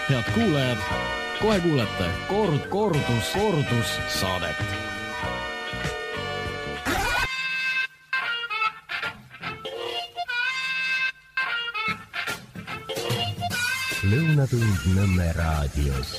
Head kuulajad, kohe kuulete kordus saadet. Lõunatund Nõmme raadios.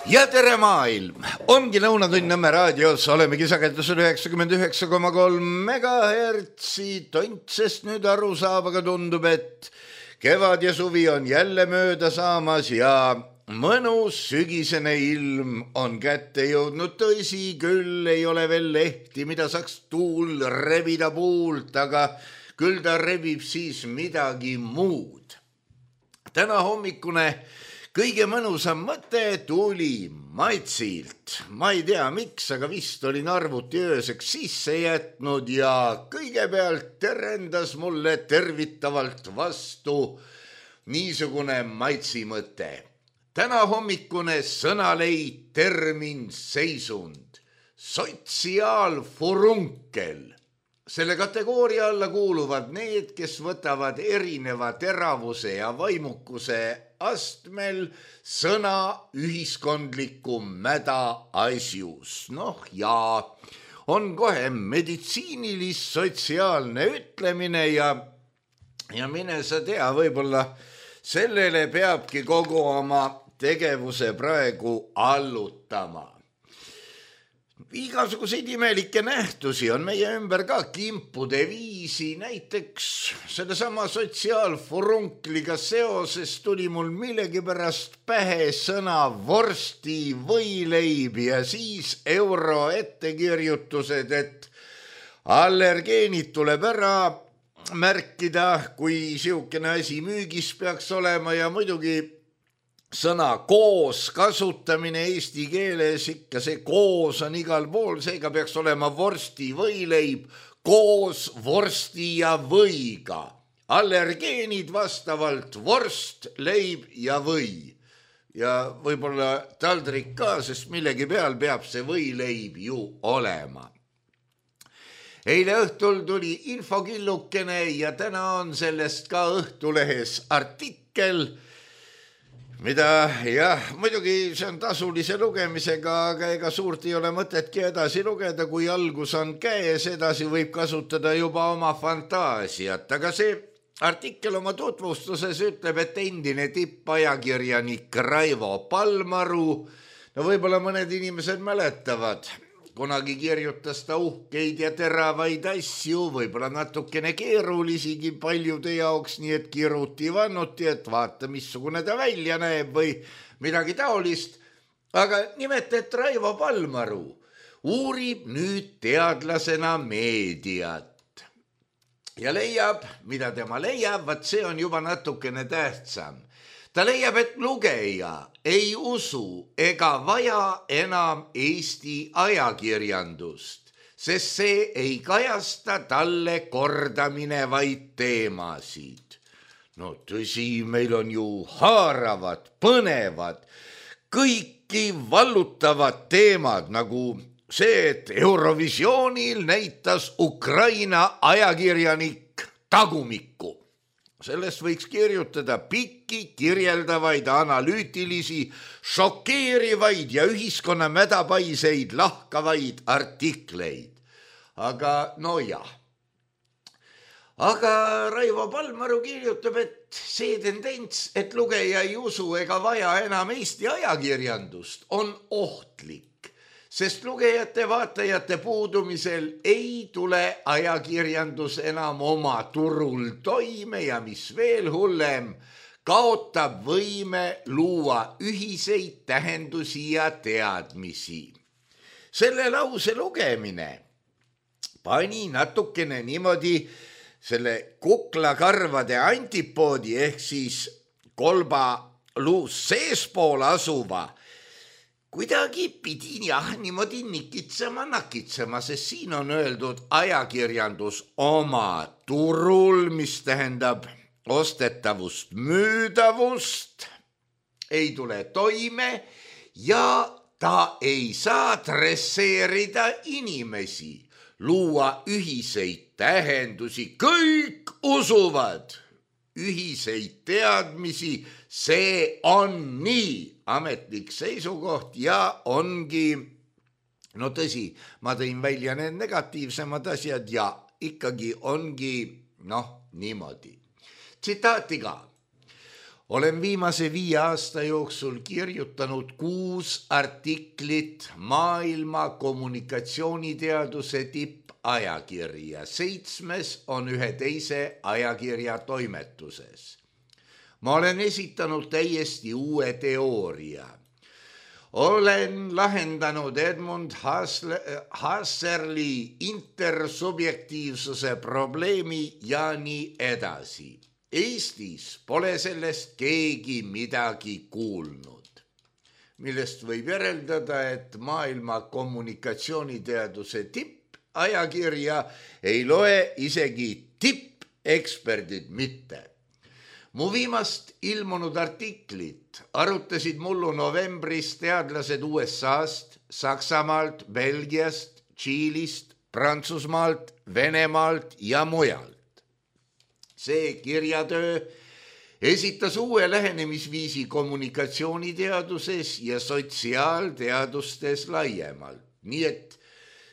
Ja tere maailm! Ongi Lõunatund Nõmme raadios, olemegi sagedusel 99,3 megahertsi tont, sest nüüd aru saab, aga tundub, et kevad ja suvi on jälle mööda saamas ja mõnus sügisene ilm on kätte jõudnud. Tõsi küll, ei ole veel lehti, mida saaks tuul rebida puult, aga küll ta rebib siis midagi muud. Täna hommikune kõige mõnusam mõte tuli Maitsilt. Ma ei tea miks, aga vist olin arvuti ööseks sisse jätnud ja kõigepealt terendas mulle tervitavalt vastu niisugune Maitsi mõte. Täna hommikune sõnaleid, termin, seisund, sotsiaalfurunkel. Selle kategooria alla kuuluvad need, kes võtavad erineva teravuse ja vaimukuse astmel sõna ühiskondliku mäda asjus. Ja on kohe meditsiinilis-sotsiaalne ütlemine ja mine sa tea, võib-olla sellele peabki kogu oma tegevuse praegu allutama. Igasuguseid imelikke nähtusi on meie ümber ka kimpude viisi, näiteks sellesama sotsiaalfurunkliga seoses tuli mul millegipärast pähe sõna vorsti võileib ja siis euro ettekirjutused, et allergeenid tuleb ära märkida, kui siukene asi müügis peaks olema ja muidugi sõna koos kasutamine eesti keeles, ikka see koos on igal pool, seega peaks olema vorsti võileib koos vorsti ja võiga. Allergeenid vastavalt vorst, leib ja või. Ja võib-olla taldrik ka, sest millegi peal peab see võileib ju olema. Eile õhtul tuli infokillukene ja täna on sellest ka Õhtulehes artikkel, mida muidugi see on tasulise lugemisega, aga ega suurt ei ole mõtetki edasi lugeda, kui algus on käes, edasi võib kasutada juba oma fantaasiat. Aga see artikkel oma tutvustuses ütleb, et endine tippajakirjanik Raivo Palmaru, võib-olla mõned inimesed mäletavad, kunagi kirjutas ta uhkeid ja teravaid asju, võib-olla natukene keerulisigi paljude jaoks, nii et kiruti vannuti, et vaata, missugune ta välja näeb või midagi taolist. Aga nimelt, et Raivo Palmaru uurib nüüd teadlasena meediat. Ja leiab, mida tema leiab, vaat see on juba natukene tähtsam. Ta leiab, et lugeja ei usu ega vaja enam Eesti ajakirjandust, sest see ei kajasta talle kordaminevaid teemasid. No tõsi, meil on ju haaravad, põnevad, kõiki vallutavad teemad, nagu see, et Eurovisioonil näitas Ukraina ajakirjanik tagumikku. Sellest võiks kirjutada pikki, kirjeldavaid, analüütilisi, šokeerivaid ja ühiskonna mädapaiseid lahkavaid artikleid. Aga Aga Raivo Palmaru kirjutab, et see tendents, et lugeja ei usu ega vaja enam Eesti ajakirjandust, on ohtlik. Sest lugejate vaatajate puudumisel ei tule ajakirjandus enam oma turul toime ja mis veel hullem, kaotab võime luua ühiseid tähendusi ja teadmisi. Selle lause lugemine pani natukene niimoodi selle kuklakarvade antipoodi ehk siis kolba luus seespool asuva kuidagi pidin niimoodi nakitsema, sest siin on öeldud ajakirjandus oma turul, mis tähendab ostetavust, müüdavust, ei tule toime ja ta ei saa dresseerida inimesi, luua ühiseid tähendusi, kõik usuvad ühiseid teadmisi, see on nii ametlik seisukoht ja ongi, no tõsi, ma tõin välja need negatiivsemad asjad ja ikkagi ongi, niimoodi. Tsitaati ka. Olen viimase 5 aasta jooksul kirjutanud 6 artiklit maailma kommunikatsiooniteaduse tippajakirja. 7 on ühe teise ajakirja toimetuses. Ma olen esitanud täiesti uue teooria. Olen lahendanud Edmund Husserli intersubjektiivsuse probleemi ja nii edasi. Eestis pole sellest keegi midagi kuulnud, millest võib järeldada, et maailma kommunikatsiooniteaduse tippajakirja ei loe isegi tippeksperdid mitte. Mu viimast ilmunud artiklit arutasid mullu novembris teadlased USA-st, Saksamaalt, Belgiast, Tšiilist, Prantsusmaalt, Venemaalt ja mujalt. See kirjatöö esitas uue lähenemisviisi kommunikatsiooniteaduses ja sotsiaalteadustes laiemalt. Nii et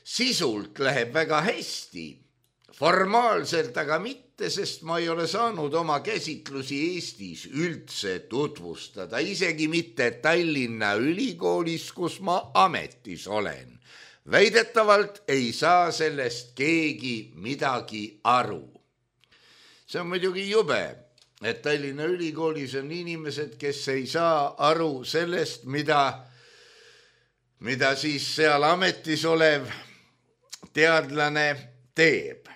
sisult läheb väga hästi, formaalselt aga mitte, sest ma ei ole saanud oma käsitlusi Eestis üldse tutvustada, isegi mitte Tallinna Ülikoolis, kus ma ametis olen. Väidetavalt ei saa sellest keegi midagi aru. See on muidugi jube, et Tallinna Ülikoolis on inimesed, kes ei saa aru sellest, mida siis seal ametis olev teadlane teeb.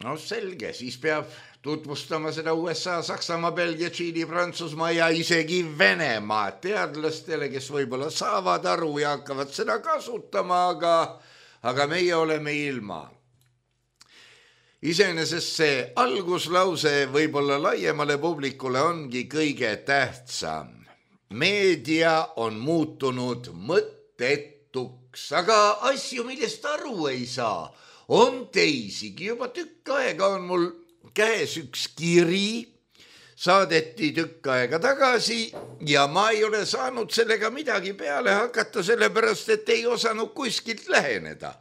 No selge, siis peab tutvustama seda USA, Saksamaa, Belgia, Tšiili, Prantsusmaa ja isegi Venemaa teadlastele, kes võib-olla saavad aru ja hakkavad seda kasutama, aga meie oleme ilma. Iseenesest see alguslause võib-olla laiemale publikule ongi kõige tähtsam. Meedia on muutunud mõttetuks, aga asju, millest aru ei saa, on teisigi. Juba tükk aega on mul käes üks kiri, saadeti tükk aega tagasi ja ma ei ole saanud sellega midagi peale hakata, sellepärast et ei osanud kuskilt läheneda.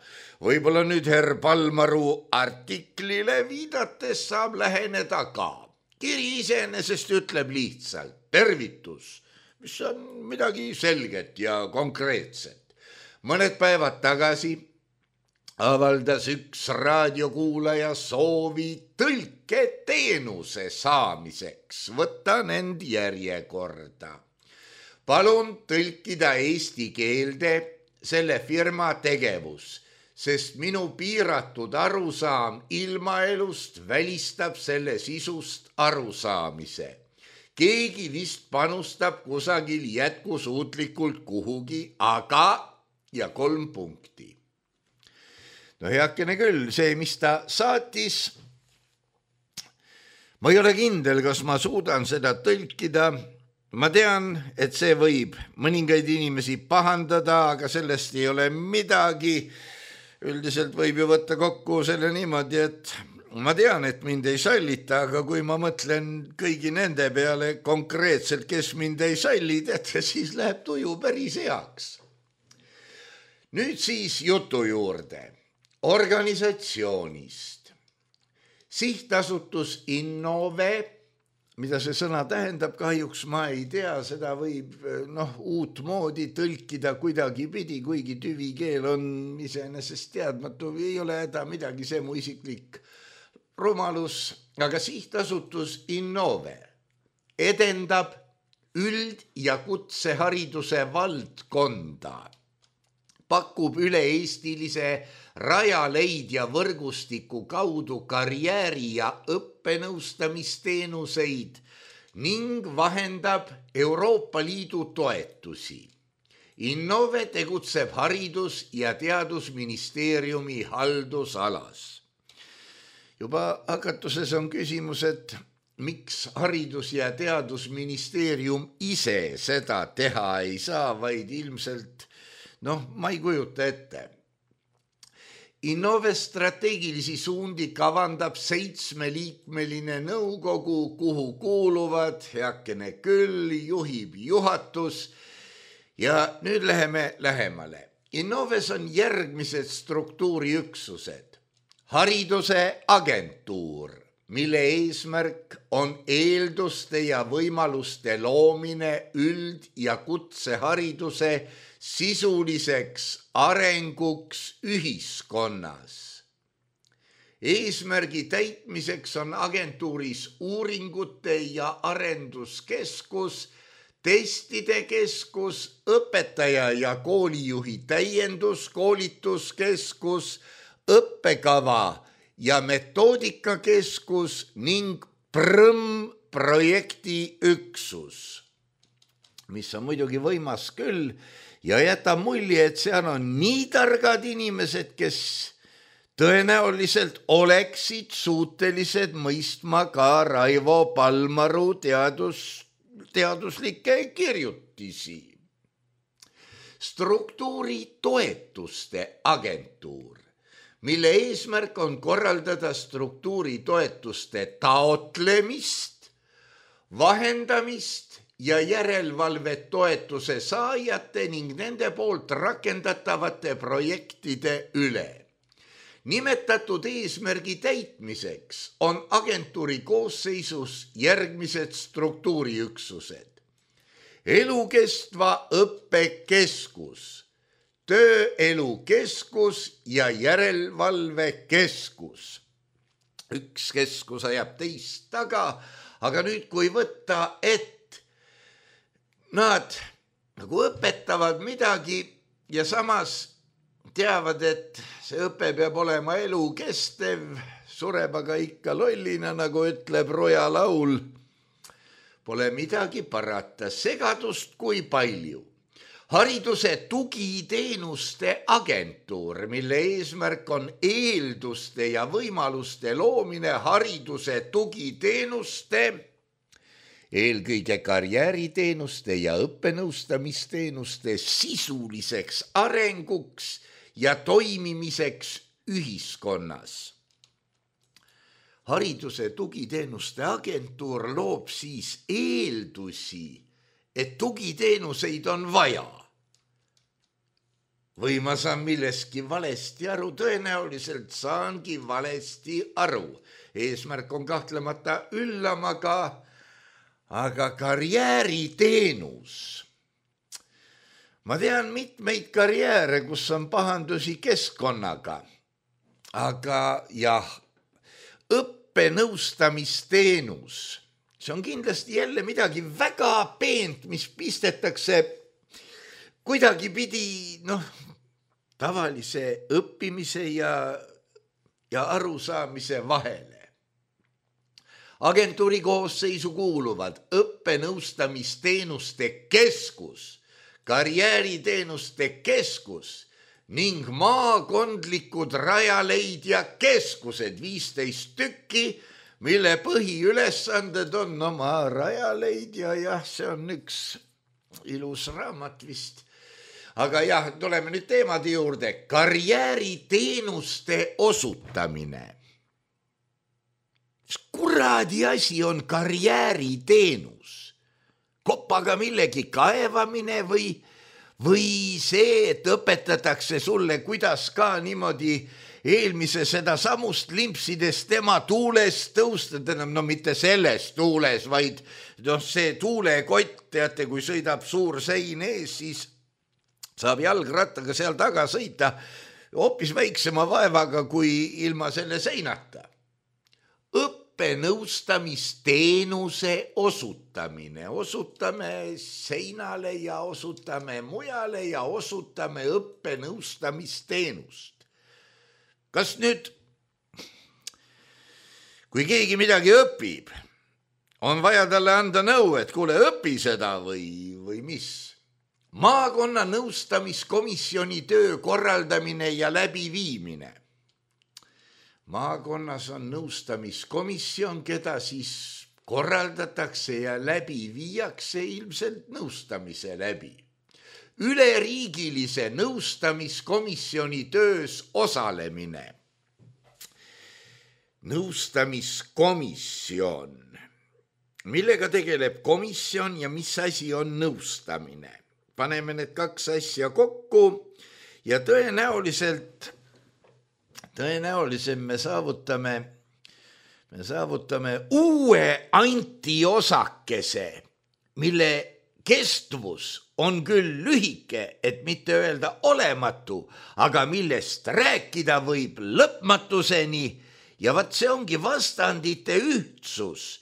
Võib-olla nüüd herr Palmaru artiklile viidates saab läheneda ka. Kiri iseenesest ütleb lihtsalt tervitus, mis on midagi selget ja konkreetset. Mõned päevad tagasi avaldas üks raadiokuulaja soovi tõlketeenuse saamiseks. Võtan end järjekorda. Palun tõlkida eesti keelde selle firma tegevus, sest minu piiratud arusaam ilmaelust välistab selle sisust arusaamise. Keegi vist panustab kusagil jätkusuutlikult kuhugi, aga ja 3 punkti. No heakene küll, see, mis ta saatis, ma ei ole kindel, kas ma suudan seda tõlkida. Ma tean, et see võib mõningaid inimesi pahandada, aga sellest ei ole midagi. Üldiselt võib ju võtta kokku selle niimoodi, et ma tean, et mind ei sallita, aga kui ma mõtlen kõigi nende peale konkreetselt, kes mind ei salli, siis läheb tuju päris heaks. Nüüd siis jutu juurde. Organisatsioonist. Sihtasutus Innove, mida see sõna tähendab, kahjuks ma ei tea, seda võib uut moodi tõlkida kuidagi pidi, kuigi tüvikeel on iseenesest teadmatu, ei ole häda midagi, see mu isiklik rumalus, aga sihtasutus Innove edendab üld- ja kutsehariduse valdkonda, pakub üle-eestilise rajaleidja võrgustiku kaudu karjääri- ja õppenõustamisteenuseid ning vahendab Euroopa Liidu toetusi. Innove tegutseb Haridus- ja Teadusministeeriumi haldusalas. Juba hakatuses on küsimus, et miks Haridus- ja Teadusministeerium ise seda teha ei saa, vaid ilmselt, ma ei kujuta ette. Innove strateegilisi suundi kavandab 7-liikmeline nõukogu, kuhu kuuluvad heakene küll, juhib juhatus ja nüüd läheme lähemale. Innoves on järgmised struktuuriüksused. Hariduse agentuur, mille eesmärk on eelduste ja võimaluste loomine üld- ja kutsehariduse sisuliseks arenguks ühiskonnas. Eesmärgi täitmiseks on agentuuris uuringute ja arenduskeskus, testide keskus, õpetaja ja koolijuhi täienduskoolituskeskus, õppekava ja metoodikakeskus ning projektiüksus, mis on muidugi võimas küll ja jätab mulje, et seal on nii targad inimesed, kes tõenäoliselt oleksid suutelised mõistma ka Raivo Palmaru teaduslikke kirjutisi. Struktuuritoetuste agentuur, mille eesmärk on korraldada struktuuritoetuste taotlemist, vahendamist ja järelevalvet toetuse saajate ning nende poolt rakendatavate projektide üle. Nimetatud eesmärgi täitmiseks on agentuuri koosseisus järgmised struktuuriüksused. Elukestva õppekeskus, tööelukeskus ja järelevalvekeskus. Üks keskus ajab teist taga, aga nüüd kui võtta, et nad nagu õpetavad midagi ja samas teavad, et see õpe peab olema elukestev, sureb aga ikka lollina, nagu ütleb Roja laul. Pole midagi parata, segadust kui palju. Hariduse tugiteenuste agentuur, mille eesmärk on eelduste ja võimaluste loomine hariduse tugiteenuste, eelkõige karjääriteenuste ja õppenõustamisteenuste sisuliseks arenguks ja toimimiseks ühiskonnas. Hariduse tugiteenuste agentuur loob siis eeldusi, et tugiteenuseid on vaja. Või ma saan milleski valesti aru, tõenäoliselt saangi valesti aru. Eesmärk on kahtlemata üllam, aga karjääriteenus. Ma tean mitmeid karjääre, kus on pahandusi keskkonnaga, aga jah, õppenõustamisteenus, see on kindlasti jälle midagi väga peent, mis pistetakse kuidagipidi tavalise õppimise ja arusaamise vahele. Agentuuri koosseisu kuuluvad õppenõustamisteenuste keskus, karjääriteenuste keskus ning maakondlikud rajaleidja keskused, 15 tükki, mille põhiülesanded on oma rajaleidja, jah, see on üks ilus raamat vist. Aga jah, tuleme nüüd teemade juurde. Karjääriteenuste osutamine. Kuradi asi on karjääriteenus. Kopaga millegi kaevamine või see, et õpetatakse sulle, kuidas ka niimoodi eelmise seda samust limpsides tema tuules tõustada, mitte selles tuules, vaid see tuulekott, teate, kui sõidab suur sein ees, siis saab jalgrattaga seal taga sõita hoopis väiksema vaevaga kui ilma selle seinata. Õppenõustamisteenuse osutamine. Osutame seinale ja osutame mujale ja osutame õppenõustamisteenust. Kas nüüd, kui keegi midagi õpib, on vaja talle anda nõu, et kuule, õpi seda või mis? Maakonna nõustamiskomisjoni töö korraldamine ja läbiviimine. Maakonnas on nõustamiskomisjon, keda siis korraldatakse ja läbi viiakse ilmselt nõustamise läbi. üleriigilise nõustamiskomisjoni töös osalemine. Nõustamiskomisjon. Millega tegeleb komisjon ja mis asi on nõustamine? Paneme need kaks asja kokku ja tõenäoliselt me saavutame uue antiosakese, mille kestvus on küll lühike, et mitte öelda olematu, aga millest rääkida võib lõpmatuseni ja vaat see ongi vastandite ühtsus.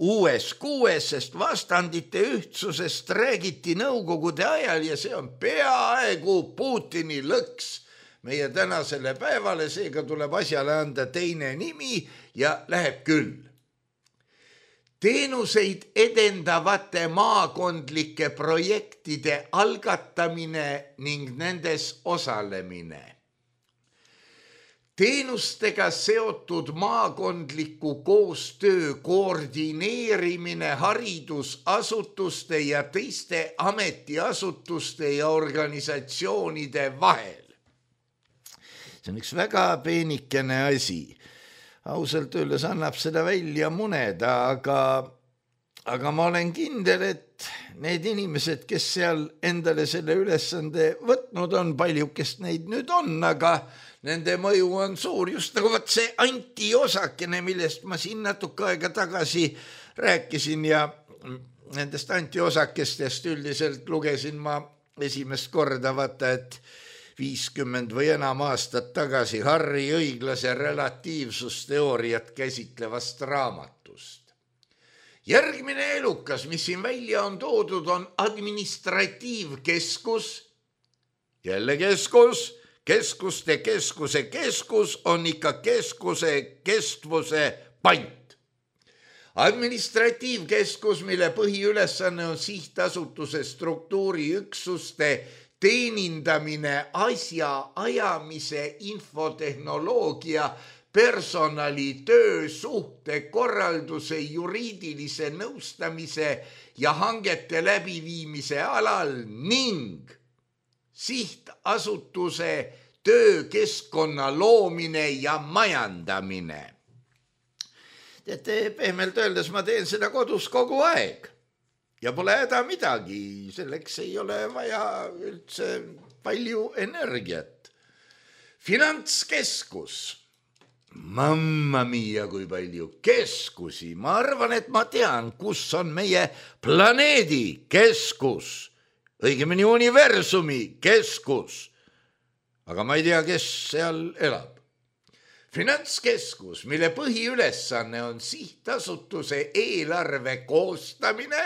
Uues kuues, sest vastandite ühtsusest räägiti nõukogude ajal ja see on peaaegu Putini lõks meie tänasele päevale, seega tuleb asjale anda teine nimi ja läheb küll. Teenuseid edendavate maakondlike projektide algatamine ning nendes osalemine. Teenustega seotud maakondliku koostöö koordineerimine haridusasutuste ja teiste ametiasutuste ja organisatsioonide vahel. See on üks väga peenikene asi. Ausalt öeldes annab seda välja muneda, aga ma olen kindel, et need inimesed, kes seal endale selle ülesande võtnud on, paljukest neid nüüd on, aga nende mõju on suur, just nagu võt see antiosakene, millest ma siin natuke aega tagasi rääkisin ja nendest antiosakestest üldiselt lugesin ma esimest korda, vaata, et 50 või enam aastat tagasi Harri õiglase relatiivsusteooriat käsitlevast raamatust. Järgmine elukas, mis siin välja on toodud, on administratiivkeskus, jälle keskuste keskus on ikka keskuse kestvuse pant. Administratiivkeskus, mille põhiülesanne on sihtasutuse struktuuriüksuste teenindamine, asja ajamise, infotehnoloogia, personalitöö, suhtekorralduse, juriidilise nõustamise ja hangete läbiviimise alal ning sihtasutuse töökeskkonna loomine ja majandamine. Teate, pehmelt öeldes ma teen seda kodus kogu aeg ja pole häda midagi, selleks ei ole vaja üldse palju energiat. Finantskeskus. Mamma mia, kui palju keskusi. Ma arvan, et ma tean, kus on meie planeedi keskus. Õigemini universumi keskus, aga ma ei tea, kes seal elab. Finantskeskus, mille põhiülesanne on sihtasutuse eelarve koostamine,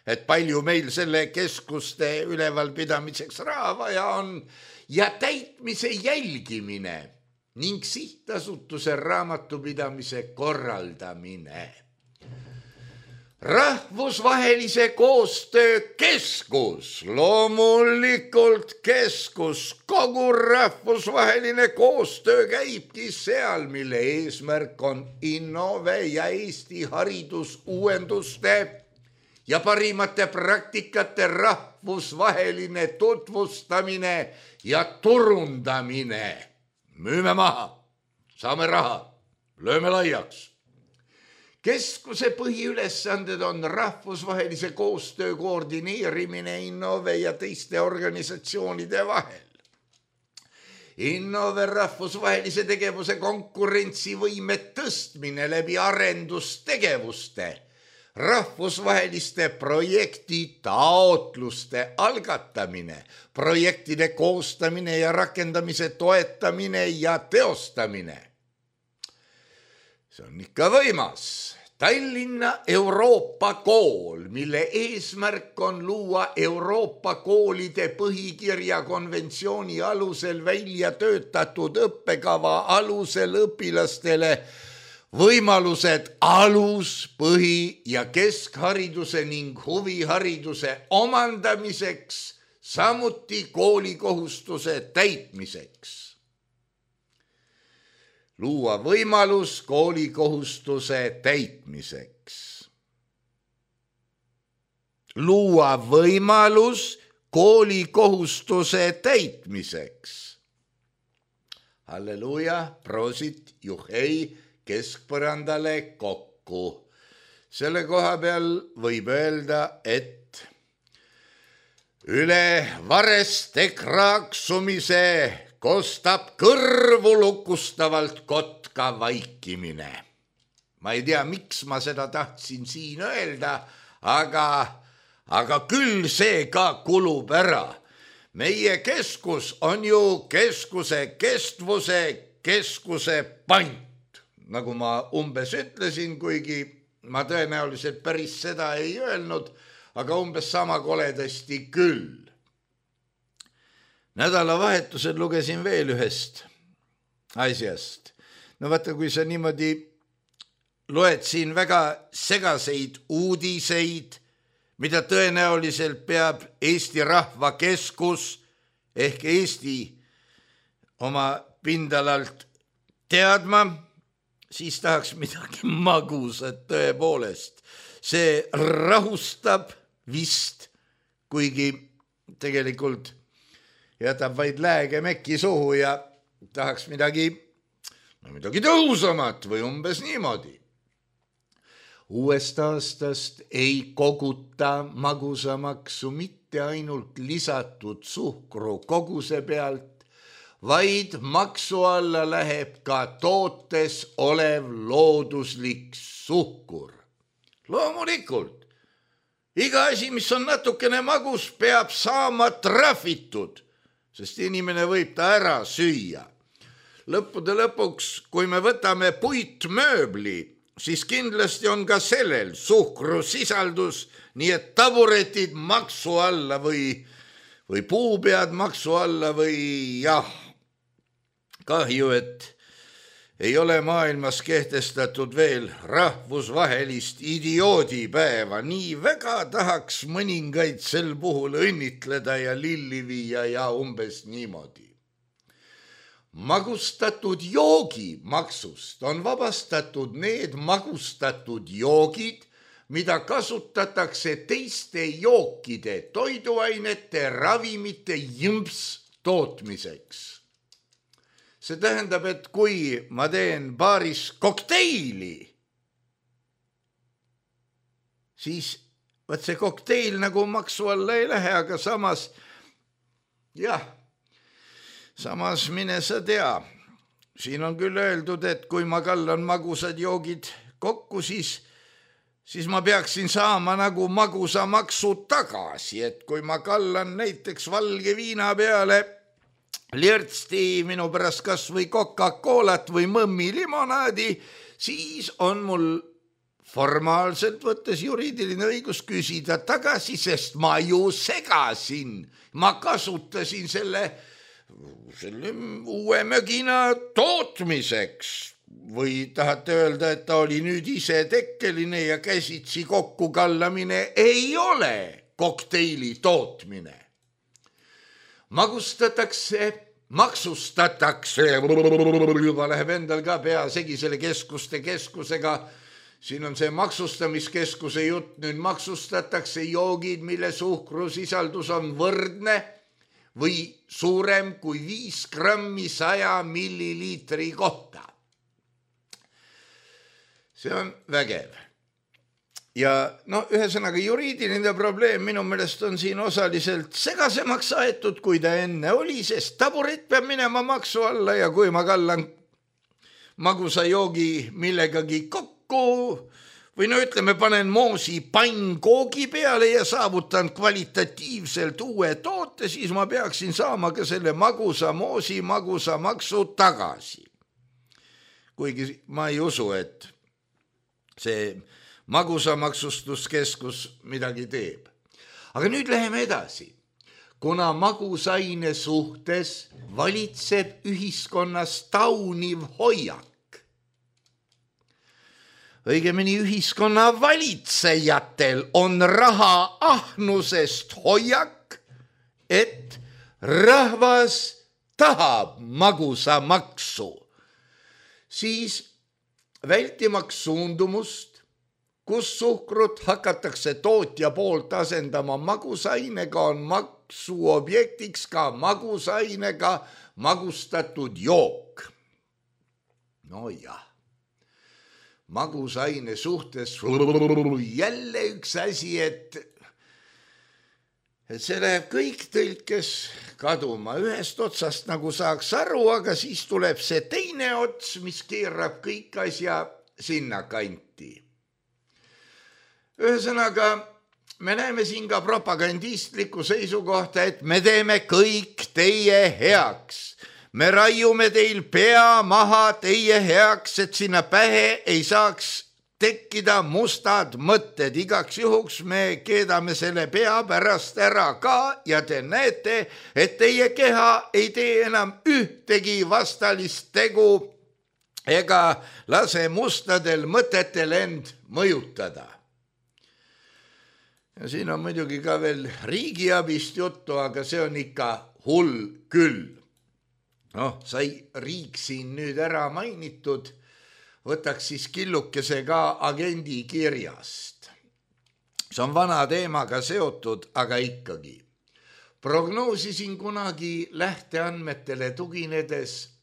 et palju meil selle keskuste ülevalpidamiseks raha vaja on, ja täitmise jälgimine ning sihtasutuse raamatupidamise korraldamine. Rahvusvahelise koostöö keskus, loomulikult keskus, kogu rahvusvaheline koostöö käibki seal, mille eesmärk on Innove ja Eesti haridusuuenduste ja parimate praktikate rahvusvaheline tutvustamine ja turundamine. Müüme maha, saame raha, lööme laiaks. Keskuse põhiülesanded on rahvusvahelise koostöö koordineerimine Innove ja teiste organisatsioonide vahel. Innove rahvusvahelise tegevuse konkurentsivõime tõstmine läbi arendustegevuste, rahvusvaheliste projekti taotluste algatamine, projektide koostamine ja rakendamise toetamine ja teostamine. See on ikka võimas. Tallinna Euroopa kool, mille eesmärk on luua Euroopa koolide põhikirja konventsiooni alusel välja töötatud õppekava alusel õpilastele võimalused alus-, põhi- ja keskhariduse ning huvihariduse omandamiseks, samuti koolikohustuse täitmiseks. Luua võimalus koolikohustuse täitmiseks. Luua võimalus koolikohustuse täitmiseks. Halleluuja, prosit, juhei, keskpõrandale kokku. Selle koha peal võib öelda, et üle vareste kraaksumise kostab kõrvu lukustavalt kotka vaikimine. Ma ei tea, miks ma seda tahtsin siin öelda, aga küll see ka kulub ära. Meie keskus on ju keskuse kestvuse, keskuse pant. Nagu ma umbes ütlesin, kuigi ma tõenäoliselt päris seda ei öelnud, aga umbes sama koledasti küll. Nädalavahetusel lugesin veel ühest asjast. No vaata, kui sa niimoodi loed siin väga segaseid uudiseid, mida tõenäoliselt peab Eesti Rahvakeskus ehk Eesti oma pindalalt teadma, siis tahaks midagi magusat tõepoolest. See rahustab vist, kuigi tegelikult jätab vaid lääge mekki suhu ja tahaks midagi tõhusamat või umbes niimoodi. Uuest aastast ei koguta magusamaksu mitte ainult lisatud suhkru koguse pealt, vaid maksu alla läheb ka tootes olev looduslik suhkur. Loomulikult, iga asi, mis on natukene magus, peab saama trahvitud, sest inimene võib ta ära süüa. Lõppude lõpuks, kui me võtame puitmööbli, siis kindlasti on ka sellel suhkrusisaldus, nii et taburetid maksu alla või puupead maksu alla või jah. Kahju, et ei ole maailmas kehtestatud veel rahvusvahelist idioodipäeva. Nii väga tahaks mõningaid sel puhul õnnitleda ja lilli viia ja umbes niimoodi. Magustatud joogi maksust on vabastatud need magustatud joogid, mida kasutatakse teiste jookide, toiduainete, ravimite jõmps tootmiseks. See tähendab, et kui ma teen baaris kokteili, siis võt see kokteil nagu maksu alla ei lähe, aga samas, samas mine sa tea. Siin on küll öeldud, et kui ma kallan magusad joogid kokku, siis ma peaksin saama nagu magusamaksu tagasi, et kui ma kallan näiteks valge viina peale lirtsti minu pärast kas või Coca-Colat või mõmmi limonaadi, siis on mul formaalselt võttes juriidiline õigus küsida tagasi, sest ma ju segasin. Ma kasutasin selle uue mögina tootmiseks. Või tahate öelda, et ta oli nüüd ise tekkeline ja käsitsi kokku kallamine ei ole kokteili tootmine. Maksustatakse, juba läheb endal ka pea segi selle keskusega, siin on see maksustamiskeskuse jutt, nüüd maksustatakse joogid, mille suhkrusisaldus on võrdne või suurem kui 5 grammi 100 milliliitri kohta. See on vägev. Ja ühesõnaga juriidiline probleem minu meelest on siin osaliselt segasemaks aetud, kui ta enne oli, sest taburet peab minema maksu alla ja kui ma kallan magusa joogi millegagi kokku või ütleme, panen moosi pannkoogi peale ja saavutan kvalitatiivselt uue toote, siis ma peaksin saama ka selle magusa moosi magusa maksu tagasi. Kuigi ma ei usu, et see magusamaksustuskeskus midagi teeb. Aga nüüd läheme edasi. Kuna magusaine suhtes valitseb ühiskonnas tauniv hoiak, õigemini ühiskonna valitsejatel on raha ahnusest hoiak, et rahvas tahab magusamaksu, siis vältimaks suundumust, kus suhkrut hakatakse tootja poolt asendama magusainega, on maksuobjektiks ka magusainega magustatud jook. No jah, magusaine suhtes jälle üks asi, et see läheb kõik tõlkes kaduma. Ühest otsast nagu saaks aru, aga siis tuleb see teine ots, mis keerab kõik asja sinna kanti. Ühesõnaga, me näeme siin ka propagandistlikku seisukohta, et me teeme kõik teie heaks. Me raiume teil pea maha teie heaks, et sinna pähe ei saaks tekkida mustad mõtted. Igaks juhuks me keedame selle pea pärast ära ka ja te näete, et teie keha ei tee enam ühtegi vastalist tegu ega lase mustadel mõtetel end mõjutada. Ja siin on muidugi ka veel riigiabist juttu, aga see on ikka hull küll. Sai riik siin nüüd ära mainitud, võtaks siis killukese ka agendi kirjast. See on vana teemaga seotud, aga ikkagi. Prognoosisin kunagi lähteandmetele tuginedes,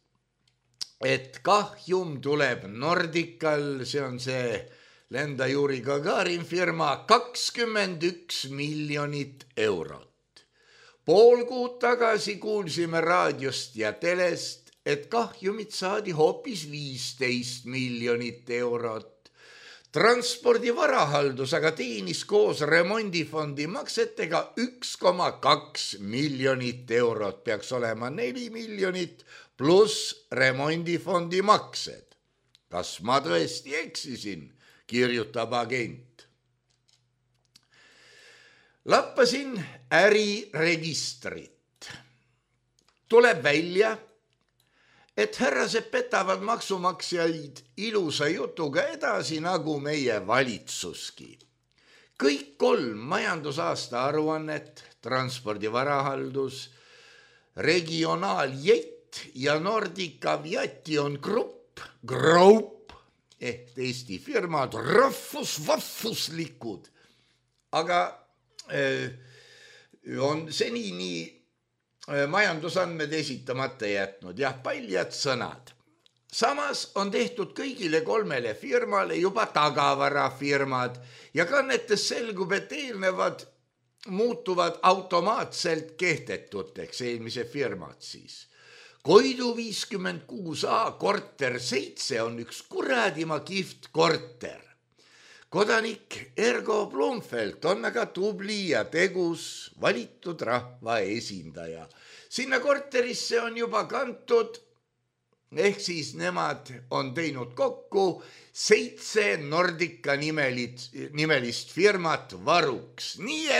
et kahjum tuleb Nordical, see on see Lenda Yuri Gagarin firma, 21 miljonit eurot. Pool kuud tagasi kuulsime raadiost ja telest, et kahjumit saadi hoopis 15 miljonit eurot. Transpordi varahaldus aga teenis koos remondifondi maksetega 1,2 miljonit eurot, peaks olema 4 miljonit pluss remondifondi maksed. Kas ma tõesti eksisin, kirjutab agent. Lappasin äriregistrit. Tuleb välja, et härrased petavad maksumaksjaid ilusa jutuga edasi nagu meie valitsuski. Kõik 3 majandusaasta aruannet, transpordi varahaldus, regionaaljett ja Nordica Aviati on grupp ehk Eesti firmad rahvuslikud, aga on senini majandusandmed esitamata jätnud, paljad sõnad. Samas on tehtud kõigile 3 firmale juba tagavarafirmad ja kannetes selgub, et eelnevad muutuvad automaatselt kehtetuteks, eelmise firmad siis. Koidu 56A korter 7 on üks kuradima kihvt korter. Kodanik Ergo Blumfeld on aga tubli ja tegus valitud rahva esindaja. Sinna korterisse on juba kantud, ehk siis nemad on teinud kokku 7 Nordica nimelist firmat varuks. Nii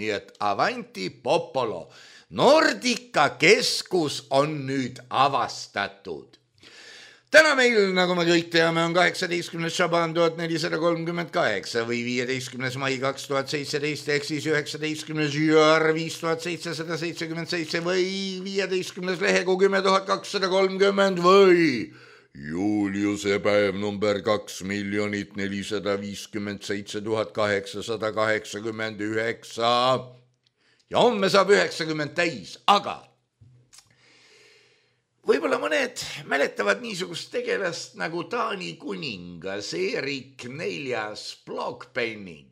et avanti popolo. Nordica keskus on nüüd avastatud. Täna meil, nagu me kõik teame, on 18. Šaban 1438 või 15. mai 2017 ehk siis 19. jõar 5777 või 15. lehegu 10230 või Juliuse päev number 2 457 889 ja homme saab 90 täis, aga võib-olla mõned mäletavad niisugust tegelast nagu Taani kuningas Erik 4. Blokpenning,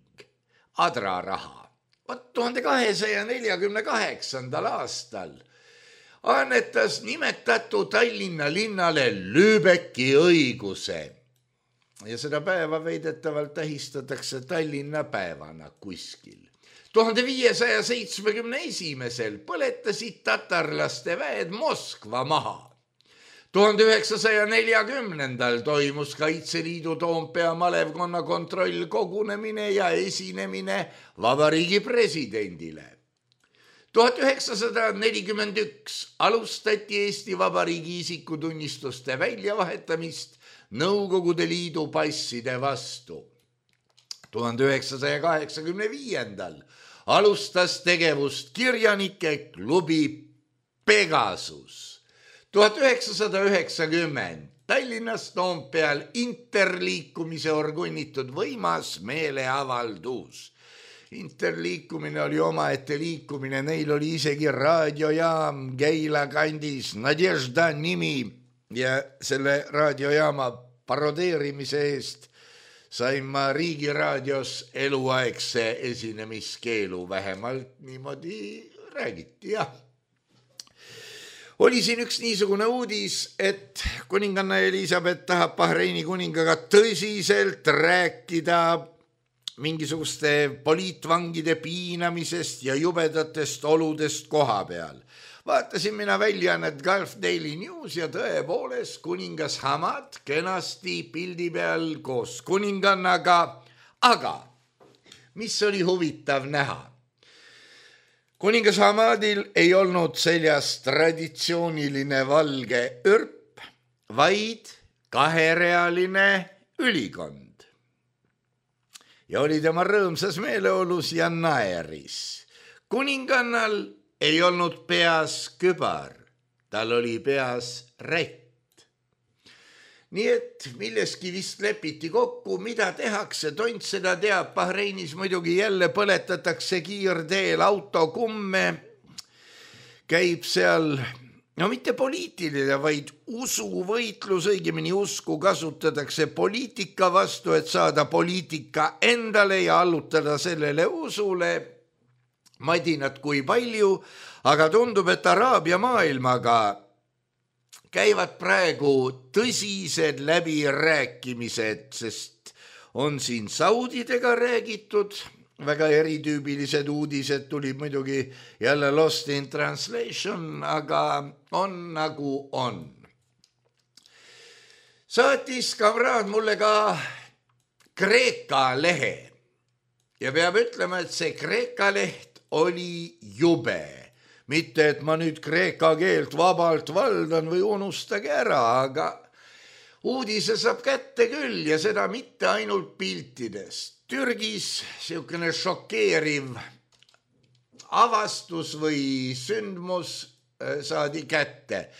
adraraha. 1248. aastal annetas nimetatu Tallinna linnale Lübecki õiguse ja seda päeva veidetavalt tähistatakse Tallinna päevana kuskil. 1571. põletasid tatarlaste väed Moskva maha. 1940. toimus Kaitseliidu Toompea malevkonna kontrollkogunemine ja esinemine vabariigi presidendile. 1941 alustati Eesti Vabariigi isikutunnistuste väljavahetamist Nõukogude Liidu passide vastu. 1985. alustas tegevust kirjanike klubi Pegasus. 1990 Tallinnas Toompeal interliikumise organitud võimas meeleavaldus. Interliikumine oli omaette liikumine, neil oli isegi raadiojaam Keila kandis, Nadežda nimi ja selle raadiojaama parodeerimise eest sain ma Riigiraadios eluaegse esinemiskeelu, vähemalt niimoodi räägiti, jah. Oli siin üks niisugune uudis, et kuninganna Elisabeth tahab Bahreini kuningaga tõsiselt rääkida mingisuguste poliitvangide piinamisest ja jubedatest oludest koha peal. Vaatasin mina väljaannet Gulf Daily News ja tõepoolest kuningas Hamad kenasti pildi peal koos kuningannaga, aga mis oli huvitav näha? Kuningas Hamadil ei olnud seljas traditsiooniline valge örp, vaid kaherealine ülikond. Ja oli tema rõõmsas meeleolus ja naeris. Kuningannal ei olnud peas kübar, tal oli peas rätt. Nii et milleski vist lepiti kokku, mida tehakse, tont seda teab, Bahreinis muidugi jälle põletatakse kiirteel autokumme, käib seal, no mitte poliitiline, vaid usuvõitlus, õigemini usku kasutatakse poliitika vastu, et saada poliitika endale ja allutada sellele usule. Madinat kui palju, aga tundub, et Araabia maailmaga käivad praegu tõsised läbirääkimised, sest on siin saudidega räägitud, väga eritüübilised uudised tulid muidugi jälle lost in translation, aga on nagu on. Saatis kamraad mulle ka Kreeka lehe ja peab ütlema, et see Kreeka leht oli jube. Mitte, et ma nüüd kreeka keelt vabalt valdan või unustage ära, aga uudise saab kätte küll ja seda mitte ainult piltidest. Türgis siukene šokeeriv avastus või sündmus saadi kätte.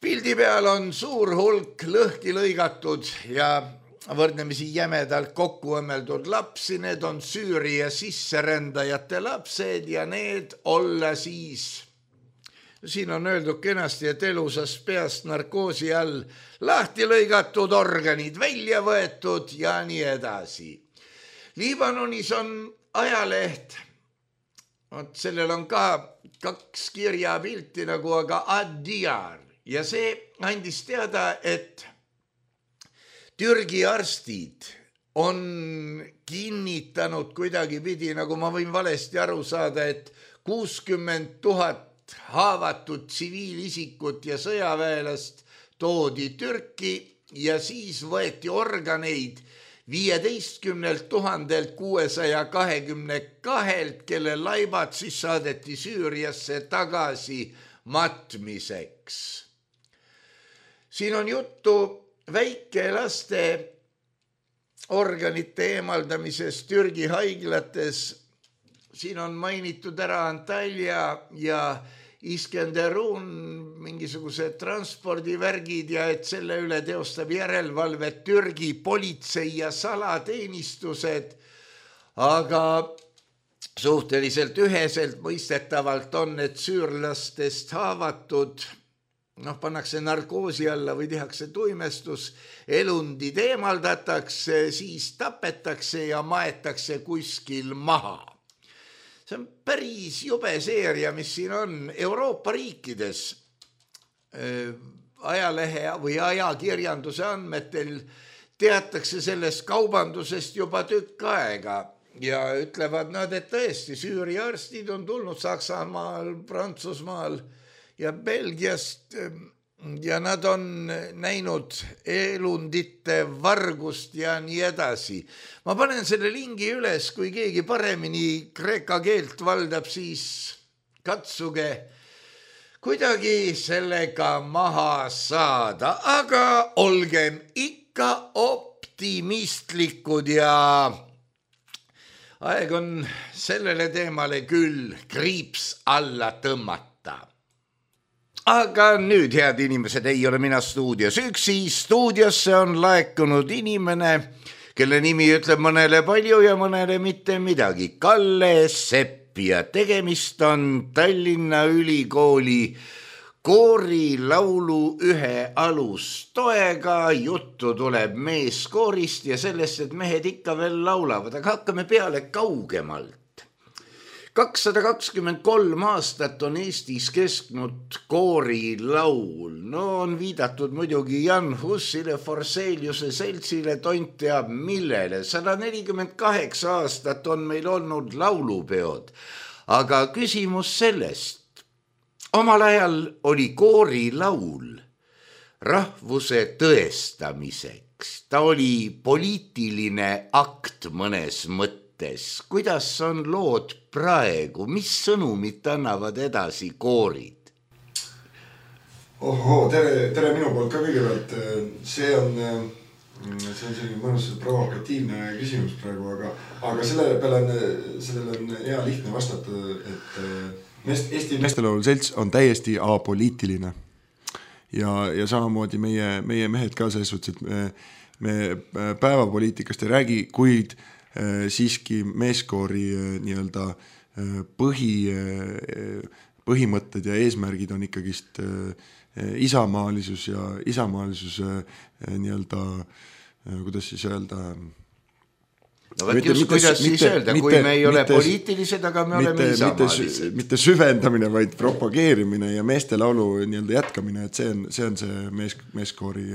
Pildi peal on suur hulk lõhki lõigatud ja võrdlemisi jämedalt kokku õmmeldud lapsi, need on Süüria sisserändajate lapsed ja need olla siis, siin on öeldud kenasti, et elusast peast narkoosi all lahti lõigatud organid välja võetud ja nii edasi. Liibanonis on ajaleht, sellel on ka 2 kirjapilti nagu aga Ad-Diyar ja see andis teada, et Türgi arstid on kinnitanud kuidagipidi, nagu ma võin valesti aru saada, et 60 000 haavatud tsiviilisikut ja sõjaväelast toodi Türki ja siis võeti organeid 15 622, kelle laibad siis saadeti Süüriasse tagasi matmiseks. Siin on juttu väikelaste organite eemaldamisest Türgi haiglates. Siin on mainitud ära Antalya ja Iskenderun mingisugused transpordivärgid ja et selle üle teostab järelevalvet Türgi politsei ja salateenistused, aga suhteliselt üheselt mõistetavalt on, et süürlastest haavatud pannakse narkoosi alla või tehakse tuimestus, elundid eemaldatakse, siis tapetakse ja maetakse kuskil maha. See on päris jube seeria, mis siin on Euroopa riikides. Ajalehe või ajakirjanduse andmetel teatakse sellest kaubandusest juba tükk aega ja ütlevad nad, et tõesti Süüria arstid on tulnud Saksamaal, Prantsusmaal ja Belgiast ja nad on näinud elundite vargust ja nii edasi. Ma panen selle lingi üles, kui keegi paremini kreeka keelt valdab, siis katsuge kuidagi sellega maha saada, aga olgem ikka optimistlikud ja aeg on sellele teemale küll kriips alla tõmmata. Aga nüüd, head inimesed, ei ole mina stuudios üksi. Stuudiosse on laekunud inimene, kelle nimi ütleb mõnele palju ja mõnele mitte midagi. Kalle Sepp ja tegemist on Tallinna Ülikooli koorilaulu ühe alustoega. Juttu tuleb meeskoorist ja sellest, et mehed ikka veel laulavad, aga hakkame peale kaugemalt. 223 aastat on Eestis kestnud koorilaul. No on viidatud muidugi Jan Hussile, Forseliuse seltsile, tont teab millele. 148 aastat on meil olnud laulupeod. Aga küsimus sellest. Omal ajal oli koorilaul rahvuse tõestamiseks. Ta oli poliitiline akt mõnes mõttes. Kuidas on lood praegu? Mis sõnumit annavad edasi koorid? Tere minu poolt ka kõigepealt. See on selline mõnus provokatiivne küsimus praegu, aga sellele on hea lihtne vastata, et Eesti meestelaulu selts on täiesti apoliitiline. Ja samamoodi meie mehed ka selles suhtes, et me päevapoliitikast ei räägi, kuid siiski meeskoori nii-öelda põhimõtted ja eesmärgid on ikkagist isamaalisus ja isamaalisus nii-öelda, kuidas siis öelda, no just kuidas siis öelda, kui me ei ole poliitilised, aga me oleme isamaalised. Mitte süvendamine, vaid propageerimine ja meestelaulu nii-öelda jätkamine, et see on see meeskoori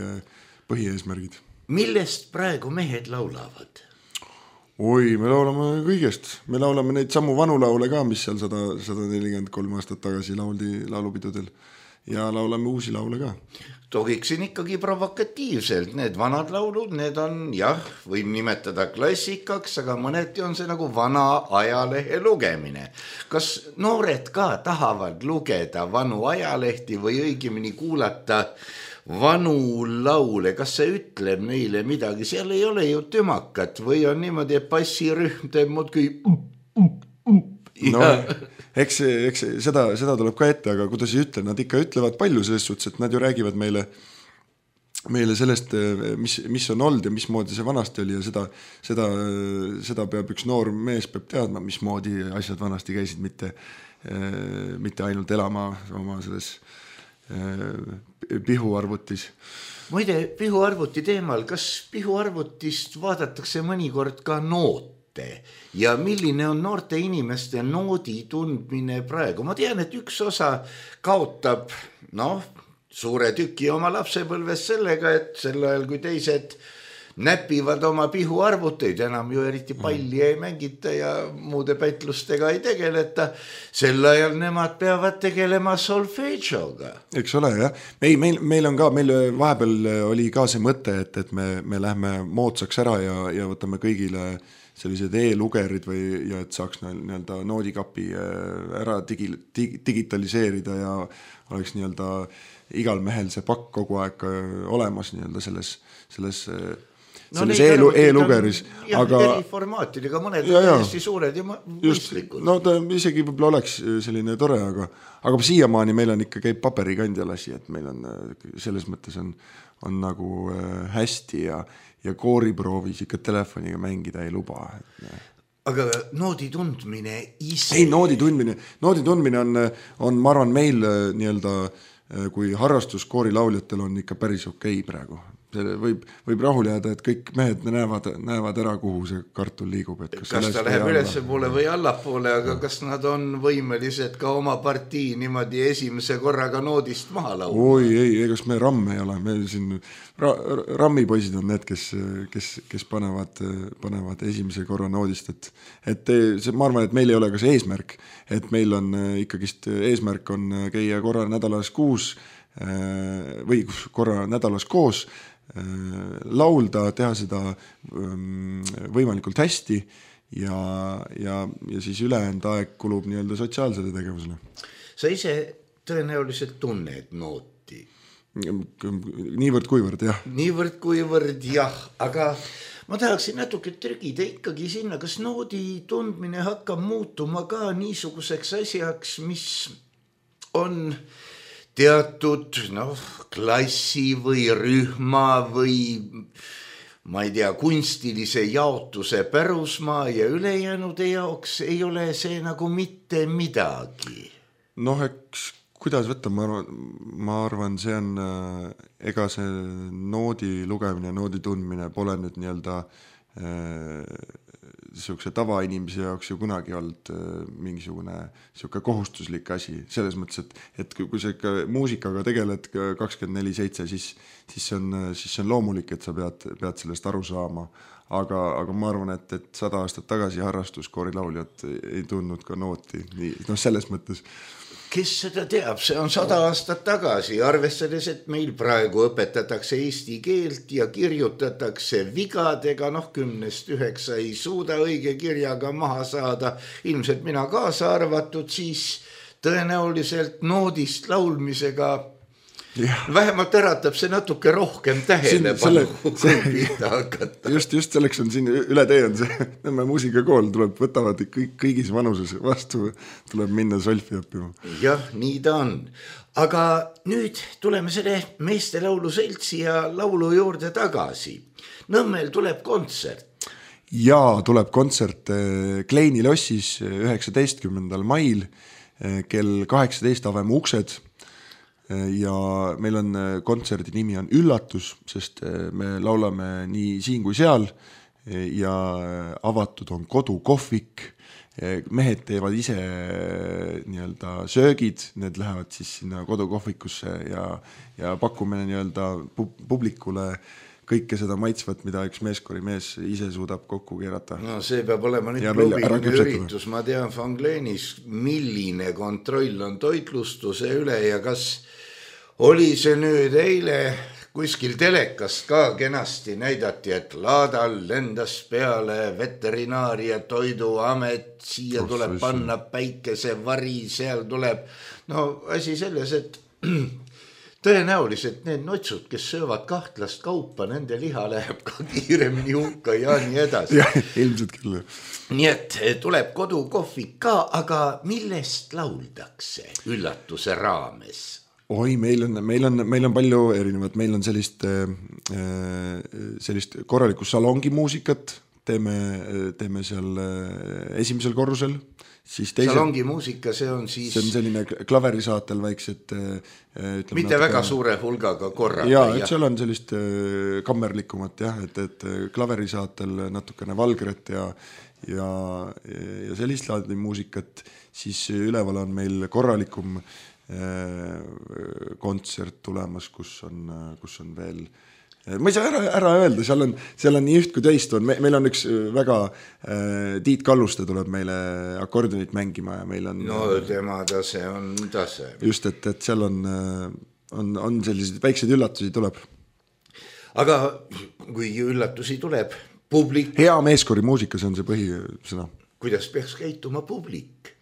põhieesmärgid. Millest praegu mehed laulavad? Oi, me laulame kõigest. Me laulame neid sammu vanu laule ka, mis seal 143 aastat tagasi lauldi laulupidudel. Ja laulame uusi laule ka. Tohiksin ikkagi provokatiivselt. Need vanad laulud, need on, võib nimetada klassikaks, aga mõneti on see nagu vana ajalehe lugemine. Kas noored ka tahavad lugeda vanu ajalehti või õigemini kuulata vanu laule? Kas see ütleb neile midagi? Seal ei ole ju tümakat või on niimoodi, et bassirühm teeb muudki no, eks seda tuleb ka ette, aga kuidas ei ütle, nad ikka ütlevad palju selles suhtes, et nad ju räägivad meile sellest, mis on olnud ja mismoodi see vanasti oli ja seda peab üks noor mees peab teadma, mismoodi asjad vanasti käisid, mitte ainult elama oma selles pihuarvutis. Muide, pihuarvuti teemal, kas pihuarvutist vaadatakse mõnikord ka noote ja milline on noorte inimeste noodi tundmine praegu? Ma tean, et üks osa kaotab suure tüki oma lapsepõlves sellega, et sel ajal kui teised näpivad oma pihuarvuteid, enam ju eriti palli ei mängita ja muude pätlustega ei tegeleta. Sel ajal nemad peavad tegelema solfeggioga. Eks ole, jah. Meil on ka, meil vahepeal oli ka see mõte, et me lähme moodsaks ära ja võtame kõigile sellised e-lugerid ja et saaks nii-öelda noodikapi ära digitaliseerida ja oleks nii-öelda igal mehel see pakk kogu aeg olemas nii-öelda selles e-lugeris. Aga eri formaatidega, mõned on hästi suured ja mõistlikud. No ta isegi võib-olla oleks selline tore, aga siiamaani meil on ikka käib paberikandjal asi, et meil on selles mõttes on nagu hästi ja kooriproovis ikka telefoniga mängida ei luba. Aga noodi tundmine ise? Ei, noodi tundmine on, ma arvan, meil nii-öelda, kui harrastus koorilauljatel on ikka päris okei praegu. Võib rahul jääda, et kõik mehed näevad ära, kuhu see kartul liigub. Et kas ta läheb ülesse poole või allapoole, aga kas nad on võimelised ka oma partii niimoodi esimese korraga noodist maha laulma? Oi, ei, kas me ramm ei ole. Me siin rammipoisid on need, kes panevad esimese korra noodist. Et ma arvan, et meil ei ole ka see eesmärk, et meil on ikkagist eesmärk on käia korra nädalas koos, laulda, teha seda võimalikult hästi ja siis ülejäänud aeg kulub nii-öelda sotsiaalsele tegevusele. Sa ise tõenäoliselt tunned nooti? Niivõrd kuivõrd, jah. Niivõrd kuivõrd, jah, aga ma tahaksin natuke trügida ikkagi sinna, kas noodi tundmine hakkab muutuma ka niisuguseks asjaks, mis on teatud klassi või rühma või ma ei tea, kunstilise jaotuse pärusmaa ja ülejäänude jaoks ei ole see nagu mitte midagi. Eks kuidas võtta, ma arvan, see on, ega see noodi lugemine, noodi tundmine pole nüüd nii-öelda niisuguse tavainimese jaoks ju kunagi olnud mingisugune niisugune kohustuslik asi, selles mõttes, et kui sa ikka muusikaga tegeled 24/7, siis see on loomulik, et sa pead sellest aru saama, aga ma arvan, et 100 aastat tagasi harrastuskoorilauljad ei tundnud ka nooti, selles mõttes. Kes seda teab, see on 100 aastat tagasi, arvestades, et meil praegu õpetatakse eesti keelt ja kirjutatakse vigadega, 10-9 ei suuda õige kirjaga maha saada, ilmselt mina kaasa arvatud, siis tõenäoliselt noodist laulmisega vähemalt äratab see natuke rohkem tähelepanu, kui pihta hakata. Just selleks on siin üle tee on see Nõmme muusikakool, võtavad kõigis vanuses vastu, tuleb minna solfi õppima. Jah, nii ta on. Aga nüüd tuleme selle meestelaulu seltsi ja laulu juurde tagasi. Nõmmel tuleb kontsert. Jaa, tuleb kontsert Kleini lossis 19. mail kell 18 avame uksed. Ja meil on kontserdi nimi on Üllatus, sest me laulame nii siin kui seal ja avatud on kodukohvik. Mehed teevad ise nii-öelda söögid, need lähevad siis sinna kodukohvikusse ja pakume nii-öelda publikule kõike seda maitsvat, mida üks meeskorimees ise suudab kokku keerata. No see peab olema nüüd klubiline üritus, ma tean Fangleenis, milline kontroll on toitlustuse üle ja kas oli see nüüd eile kuskil telekast ka kenasti näidati, et laadal lendas peale veterinaaria toiduamet, siia tuleb panna päikesevari, seal tuleb, asi selles, et tõenäoliselt need notsud, kes söövad kahtlast kaupa, nende liha läheb ka kiiremini hukka ja nii edasi. Ja, ilmselt küll. Nii et tuleb kodukohvik ka, aga millest lauldakse Üllatuse raames? Oi, meil on palju erinevat, meil on sellist korralikku salongimuusikat, teeme seal esimesel korrusel. Salongimuusika, see on siis... See on selline klaverisaatel väiksed... mitte väga suure hulgaga korraga. Jaa, et seal on sellist kammerlikumat, et klaverisaatel natukene valgret ja sellist laadi muusikat, siis üleval on meil korralikum kontsert tulemas, kus on veel, ma ei saa ära öelda, seal on nii üht kui teist on, meil on üks väga Tiit Kalluste tuleb meile akordionit mängima ja meil on tema tase on tase. Just, et seal on sellised väikseid üllatusi tuleb. Aga kui üllatusi tuleb, publik... Hea meeskori muusika, see on see põhisõna. Kuidas peaks käituma publik?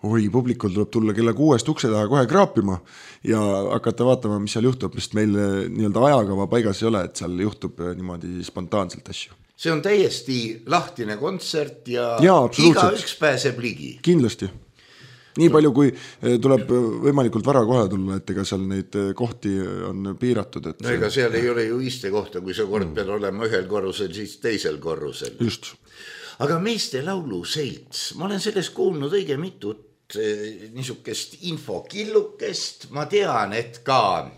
Oi, publikul tuleb tulla kella 6 ukse taha kohe kraapima ja hakata vaatama, mis seal juhtub, sest meil nii-öelda ajakava paigas ei ole, et seal juhtub niimoodi spontaanselt asju. See on täiesti lahtine kontsert ja iga üks pääseb ligi. Kindlasti. Nii palju, kui tuleb võimalikult vara kohe tulla, et ega seal neid kohti on piiratud. No ega seal ei ole ju iste kohta, kui sa kord pead olema ühel korrusel, siis teisel korrusel. Just. Aga meeste laulu selts, ma olen sellest kuulnud õige mitut niisugust infokillukest, ma tean, et ka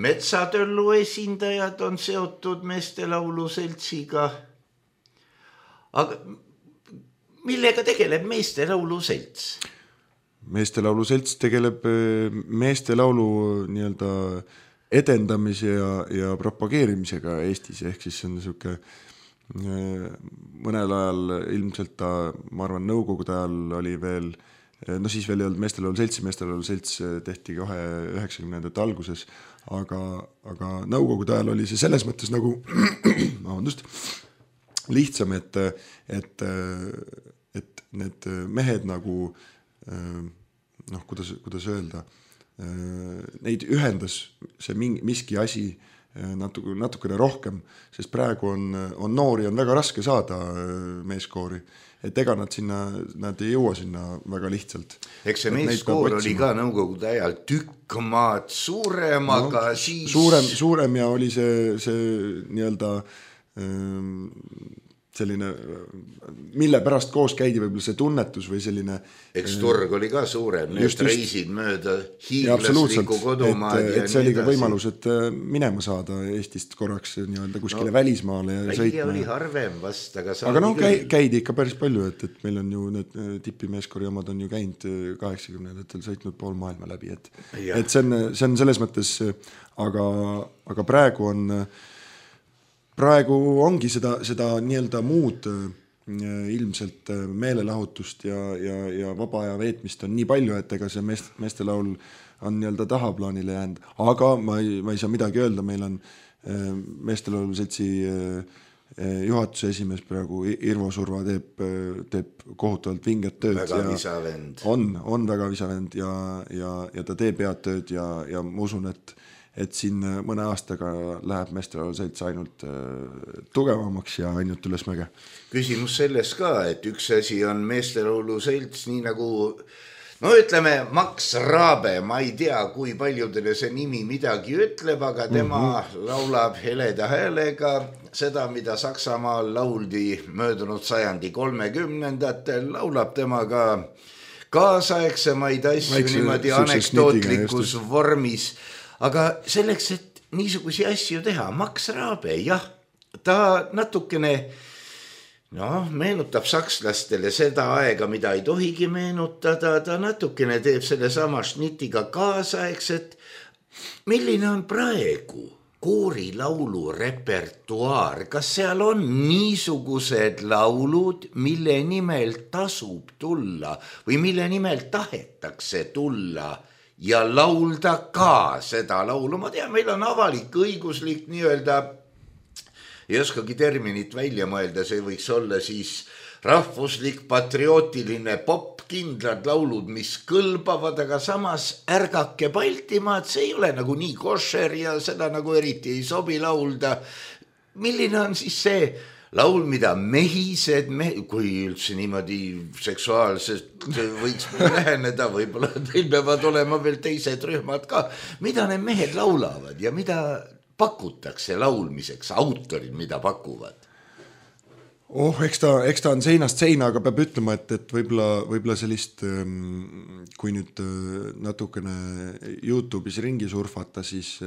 Metsatöllu esindajad on seotud meeste laulu seltsiga. Aga millega tegeleb meeste laulu selts? Meeste laulu selts tegeleb meeste laulu nii-öelda edendamise ja propageerimisega Eestis, ehk siis see on niisugune mõnel ajal ilmselt ta, ma arvan, nõukogude ajal oli veel, siis veel ei olnud meeste laulu selts tehti kohe 90. alguses, aga nõukogude ajal oli see selles mõttes nagu lihtsam, et need mehed nagu kuidas öelda, neid ühendas see miski asi, natukene rohkem, sest praegu on noori on väga raske saada meeskoori, et ega nad ei jõua sinna väga lihtsalt. Eks see meeskoor oli ka nõukogude ajal tükk maad suurem, aga siis... Suurem ja oli see nii-öelda selline, mille pärast koos käidi võib-olla see tunnetus või selline... Eks turg oli ka suurem, need reisid mööda hiiglaslikku kodumaad et see oli ka võimalus, et minema saada Eestist korraks nii-öelda kuskile välismaale ja sõitma. Oli harvem vast, aga käidi ikka päris palju, et meil on ju need tipimeeskoori omad on ju käinud 80-ndatel sõitnud pool maailma läbi, et see on selles mõttes, aga praegu ongi seda nii-öelda muud ilmselt meelelahutust ja vaba aja veetmist on nii palju, et ega see meestelaul on nii-öelda tahaplaanile jäänud, aga ma ei saa midagi öelda, meil on meestelaulu seltsi juhatuse esimees praegu Irvo Surva teeb kohutavalt vinget tööd. Väga visavend. On väga visavend ja ta teeb head tööd ja ma usun, et siin mõne aastaga läheb meestelaulu selts ainult tugevamaks ja ainult ülesmäge. Küsimus selles ka, et üks asi on meestelaulu selts, nii nagu, no ütleme, Max Raabe, ma ei tea, kui paljudele see nimi midagi ütleb, aga tema laulab heleda häälega seda, mida Saksamaal lauldi möödunud sajandi 30-ndatel, laulab tema ka kaasaegsemaid asju niimoodi anekdootlikus vormis. Aga selleks, et niisugusi asju teha, Max Raabe, jah, ta natukene meenutab sakslastele seda aega, mida ei tohigi meenutada, ta natukene teeb selle sama šnitiga kaasaegset. Milline on praegu koorilaulu repertuaar? Kas seal on niisugused laulud, mille nimel tasub tulla või mille nimel tahetakse tulla ja laulda ka seda laulu? Ma tean, meil on avalik õiguslik nii-öelda, ei oskagi terminit välja mõelda, see võiks olla siis rahvuslik, patriotiline pop, kindlad laulud, mis kõlbavad, aga samas ärgake Baltimaad, see ei ole nagu nii košer ja seda nagu eriti ei sobi laulda. Milline on siis see laul, mida mehised, kui üldse niimoodi seksuaalselt võiks läheneda, võib-olla teil peavad olema veel teised rühmad ka, mida need mehed laulavad ja mida pakutakse laulmiseks, autorid, mida pakuvad? Eks ta on seinast seina, aga peab ütlema, et võib-olla sellist, kui nüüd natukene YouTube'is ringi surfata, siis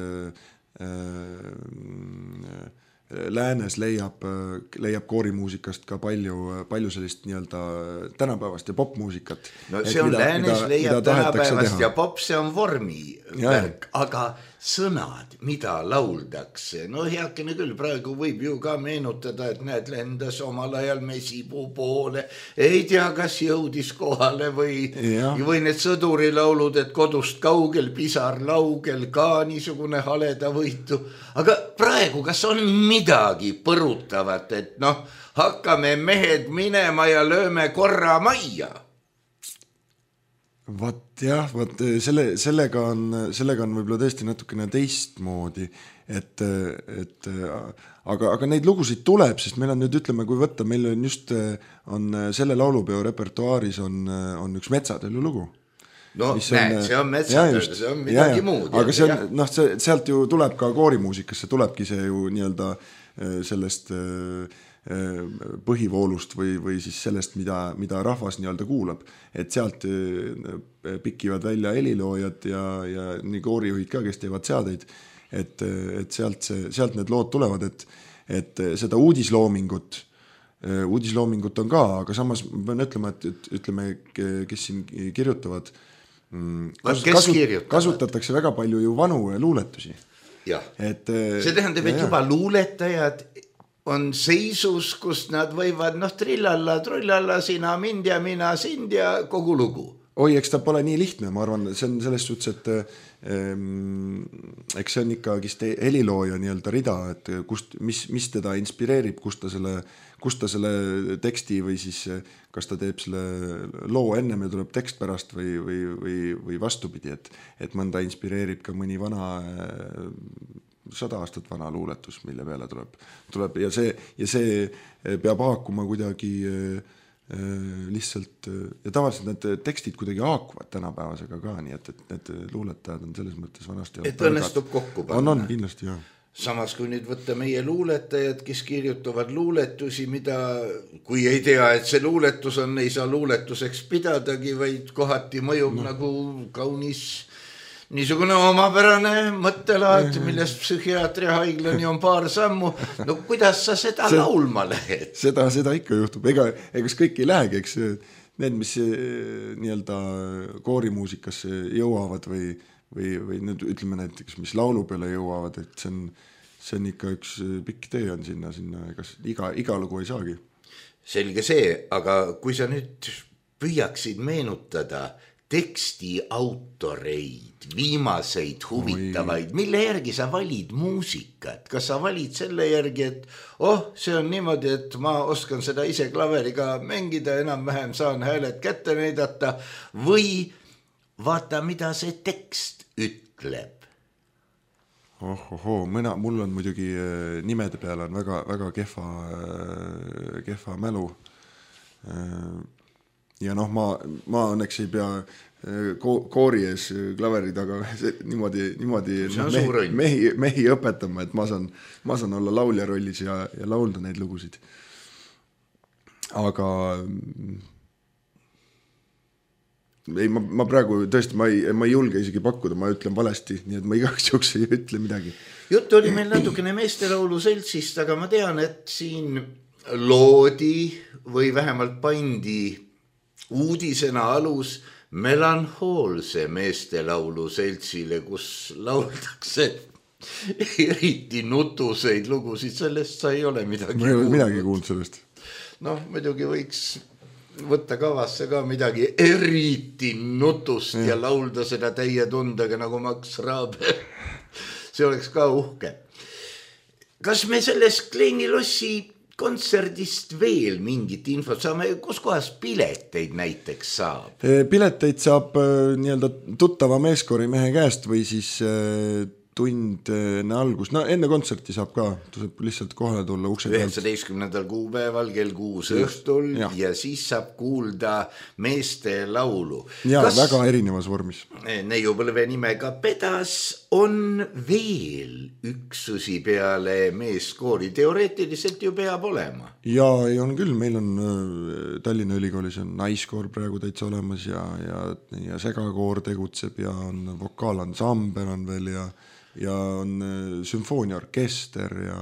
Läänes leiab koorimuusikast ka palju sellist nii-öelda tänapäevast ja popmuusikat. No see on Läänes leiab tänapäevast ja pop, see on vormi värk, aga sõnad, mida lauldakse. No heakene küll, praegu võib ju ka meenutada, et näed, lendas omal ajal mesipuu poole, ei tea, kas jõudis kohale või need sõdurilaulud, et kodust kaugel, pisar laugel, ka niisugune haleda võitu. Aga praegu, kas on midagi põrutavat, et hakkame mehed minema ja lööme korra majja? Sellega on võib-olla tõesti natukene teistmoodi, aga neid lugusid tuleb, sest meil on nüüd, ütleme, kui võtta, meil on just selle laulupeo repertuaaris on üks Metsatöölu lugu. No näed, see on Metsatööl, see on midagi muud. Aga sealt ju tuleb ka koorimuusikasse, tulebki see ju nii-öelda sellest põhivoolust või siis sellest, mida rahvas nii-öelda kuulab. Et sealt pikivad välja heliloojad ja nii koorijuhid ka, kes teevad seadeid, et sealt need lood tulevad, et seda uudisloomingut on ka, aga samas ma pean ütlema, et ütleme, kes siin kirjutavad, kasutatakse väga palju ju vanu luuletusi. Jah, see tähendab, et juba luuletajad on seisus, kus nad võivad, trillalla, trullalla, sina mind ja mina sind ja kogu lugu. Oi, eks ta pole nii lihtne, ma arvan, see on selles suhtes, et eks see on ikkagi helilooja nii-öelda rida, et mis teda inspireerib, kust ta selle teksti või siis kas ta teeb selle loo ennem ja tuleb tekst pärast või vastupidi, et mõnda inspireerib ka mõni vana 100 aastat vana luuletus, mille peale tuleb ja see peab haakuma kuidagi lihtsalt ja tavaliselt need tekstid kuidagi haakuvad tänapäevasega ka, nii et need luuletajad on selles mõttes vanasti et õnnestub kokku panna. On kindlasti, jah. Samas kui nüüd võtta meie luuletajad, kes kirjutavad luuletusi, mida kui ei tea, et see luuletus on, ei saa luuletuseks pidadagi, vaid kohati mõjub nagu kaunis niisugune omapärane mõttelaad, millest psühhiaatria haiglani on paar sammu. No kuidas sa seda laulma lähed? Seda ikka juhtub. Ega kõik ei lähegi, eks need, mis nii-öelda koorimuusikasse jõuavad või nüüd ütleme näiteks, mis laulu peale jõuavad, et see on ikka üks pikk tee on sinna, kas iga lugu ei saagi. Selge see, aga kui sa nüüd püüaksid meenutada teksti autoreid, viimaseid huvitavaid, mille järgi sa valid muusikat? Kas sa valid selle järgi, et see on niimoodi, et ma oskan seda ise klaveriga mängida, enam-vähem saan hääled kätte näidata või vaata, mida see tekst ütleb? Mul on muidugi nimede peale on väga kehva mälu. Ja ma õnneks ei pea koori ees klaveri taga niimoodi mehi õpetama, et ma saan olla laulja rollis ja laulda neid lugusid. Aga ei, ma praegu tõesti, ma ei julge isegi pakkuda, ma ütlen valesti, nii et ma igaks juhuks ei ütle midagi. Jutt oli meil natukene meestelaulu seltsist, aga ma tean, et siin loodi või vähemalt pandi uudisena alus melanhoolse meestelaulu seltsile, kus lauldakse eriti nutuseid lugusid, sellest sa ei ole midagi kuulnud. Ma ei ole midagi kuulnud sellest. Muidugi võiks võtta kavasse ka midagi eriti nutust ja laulda seda täie tundega nagu Max Raabe. See oleks ka uhke. Kas me sellest Kleini lossi kontserdist veel mingit infot saame, kus kohas pileteid näiteks saab? Pileteid saab nii-öelda tuttava meeskoori mehe käest või siis tund enne algus. Enne kontserti saab ka, tuleb lihtsalt kohale tulla ukse pealt. 19. kuupäeval kell 6 õhtul ja siis saab kuulda meeste laulu. Ja väga erinevas vormis. Neiupõlve nimega Pedas on veel üksusi peale meeskoori. Teoreetiliselt ju peab olema. Ja ei on küll, meil on Tallinna Ülikoolis on naiskoor praegu täitsa olemas ja segakoor tegutseb ja on vokaalansambel on veel ja on sümfooniaorkester ja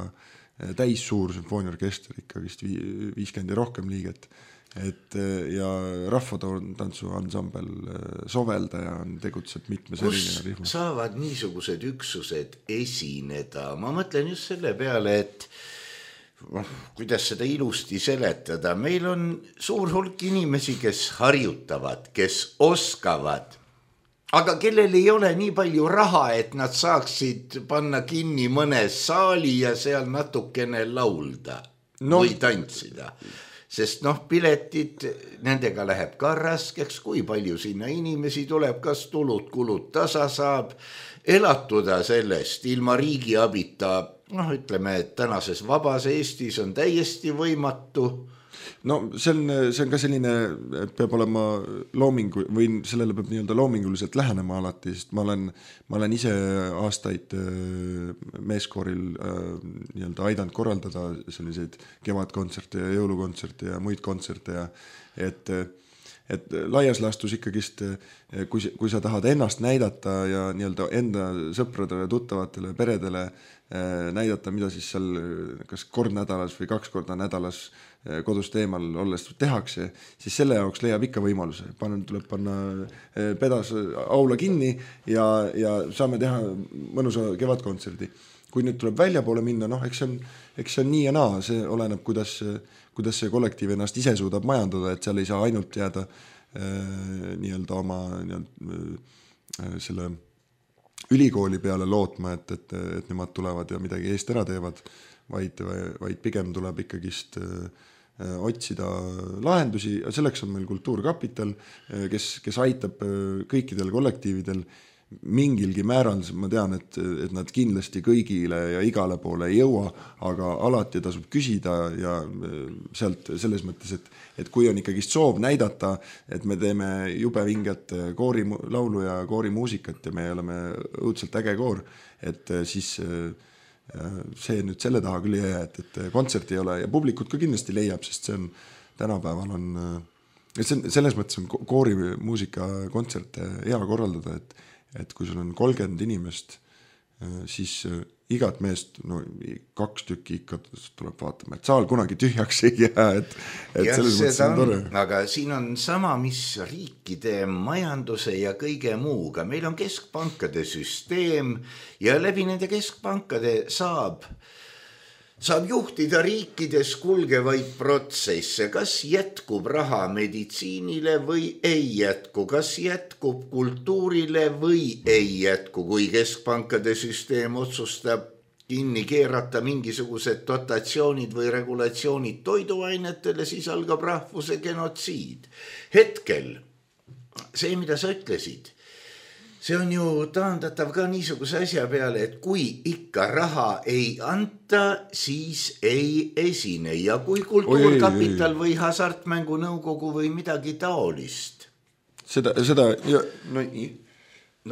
täis suur sümfooniaorkester ikka vist 50 ja rohkem liiget. Ja rahvatantsu ansambel Soveldaja on tegutseb mitmes erinev rühmas. Kus saavad niisugused üksused esineda? Ma mõtlen just selle peale, et kuidas seda ilusti seletada. Meil on suur hulk inimesi, kes harjutavad, kes oskavad, aga kellel ei ole nii palju raha, et nad saaksid panna kinni mõne saali ja seal natukene laulda või tantsida. Sest piletid, nendega läheb ka raskeks, kui palju sinna inimesi tuleb, kas kulud tasa saab, elatuda sellest ilma riigi abita, ütleme, et tänases vabas Eestis on täiesti võimatu. See on ka selline, et peab olema või sellele peab nii-öelda loominguliselt lähenema alati, sest ma olen ise aastaid meeskooril nii-öelda aidanud korraldada selliseid kevadkontserte ja jõulukontserte ja muid kontserte ja et laias laastus ikkagist, kui sa tahad ennast näidata ja nii-öelda enda sõpradele, tuttavatele, peredele näidata, mida siis seal kas kord nädalas või 2 korda nädalas kodust eemal olles tehakse, siis selle jaoks leiab ikka võimaluse. Tuleb panna Pedas aula kinni ja saame teha mõnusa kevadkontserdi. Kui nüüd tuleb välja poole minna, eks see on nii ja naa, see oleneb, kuidas see kollektiiv ennast ise suudab majandada, et seal ei saa ainult jääda nii-öelda oma selle ülikooli peale lootma, et nemad tulevad ja midagi eest ära teevad, vaid pigem tuleb ikkagist otsida lahendusi ja selleks on meil Kultuurkapital, kes aitab kõikidel kollektiividel mingilgi määral ma tean, et nad kindlasti kõigile ja igale poole ei jõua, aga alati tasub küsida ja sealt selles mõttes, et kui on ikkagi soov näidata, et me teeme jube vinget koorilaulu ja koorimuusikat ja me oleme õudselt äge koor, et siis see nüüd selle taha küll ei jää, et kontserti ei ole ja publikut ka kindlasti leiab, sest see on tänapäeval on, selles mõttes on koorimuusika kontserte hea korraldada, et kui sul on 30 inimest, siis igat meest, 2 tükki ikka tuleb vaatama, et saal kunagi tühjaks ei jää, et selles mõttes on tore. Aga siin on sama, mis riikide majanduse ja kõige muuga. Meil on keskpankade süsteem ja läbi nende keskpankade saab juhtida riikides kulgevaid protsesse, kas jätkub raha meditsiinile või ei jätku, kas jätkub kultuurile või ei jätku, kui keskpankade süsteem otsustab kinni keerata mingisugused dotatsioonid või regulatsioonid toiduainetele, siis algab rahvuse genotsiid. Hetkel, see, mida sa ütlesid, see on ju taandatav ka niisuguse asja peale, et kui ikka raha ei anta, siis ei esine. Ja kui kultuurkapital või hasartmängu nõukogu või midagi taolist. Seda ja,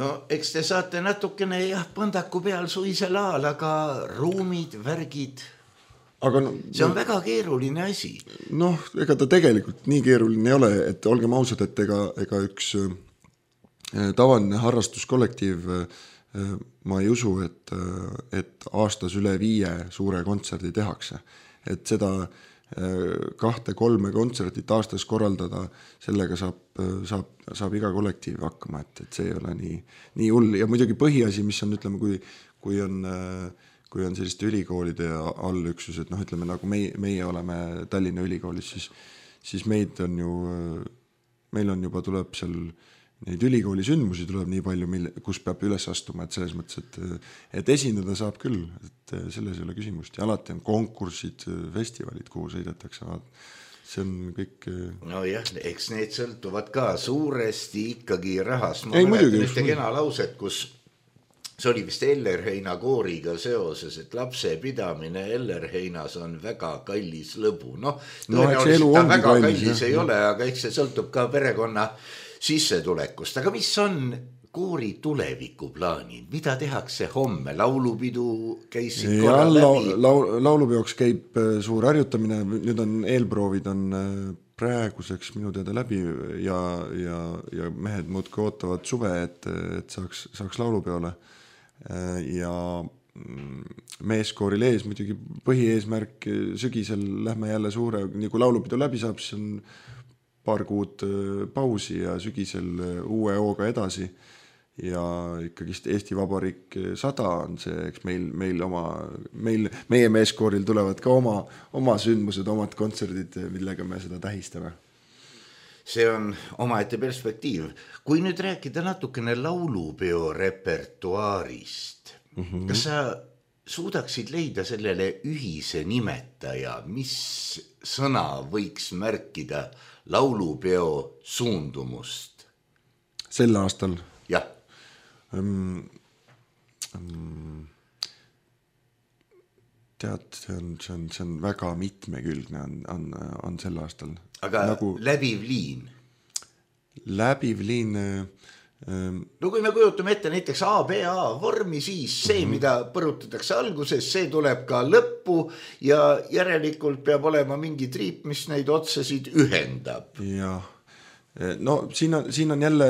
no eks te saate natukene põndaku peal suisel aal, aga ruumid, värgid, aga see on väga keeruline asi. Ega ta tegelikult nii keeruline ei ole, et olgem ausad, et ega üks tavaline harrastuskollektiiv, ma ei usu, et aastas üle 5 suure kontserdi tehakse. Et seda 2-3 kontsertit aastas korraldada, sellega saab iga kollektiiv hakkama, et see ei ole nii hull. Ja muidugi põhiasi, mis on, ütleme, kui on selliste ülikoolide allüksused, ütleme, nagu meie oleme Tallinna ülikoolis, siis meil on juba tuleb seal neid ülikooli sündmusi tuleb nii palju, kus peab üles astuma, et selles mõttes, et esindada saab küll, et selles ei ole küsimust. Ja alati on konkursid, festivalid, kuhu sõidetakse. See on kõik... No jah, eks need sõltuvad ka suuresti ikkagi rahast. Ma mäletan ühte kena lauset, kus see oli vist Ellerheina kooriga seoses, et lapse pidamine Ellerheinas on väga kallis lõbu. Tõenäoliselt ta väga kallis ei ole, aga eks see sõltub ka perekonna sissetulekust. Aga mis on koori tulevikuplaanid? Mida tehakse homme? Laulupidu käisid korra läbi? Laulupeoks käib suur harjutamine. Nüüd on eelproovid on praeguseks minu teada läbi ja mehed muudki ootavad suve, et saaks laulupeole. Ja meeskooril ees muidugi põhieesmärk sügisel lähme jälle suure, nii kui laulupidu läbi saab, siis on paar kuud pausi ja sügisel uue hooga edasi ja ikkagi Eesti Vabariik 100 on see, eks meie meeskooril tulevad ka oma sündmused, omad kontserdid, millega me seda tähistame. See on omaette perspektiiv. Kui nüüd rääkida natukene laulupeo repertuaarist, kas sa suudaksid leida sellele ühise nimetaja, mis sõna võiks märkida laulupeo suundumust? Sel aastal? Jah. Tead, see on väga mitmekülgne on sel aastal. Aga läbiv liin? Läbiv liin... No kui me kujutame ette näiteks ABA vormi, siis see, mida põrutatakse alguses, see tuleb ka lõppu ja järelikult peab olema mingi triip, mis neid otsesid ühendab. Jah. No siin on jälle,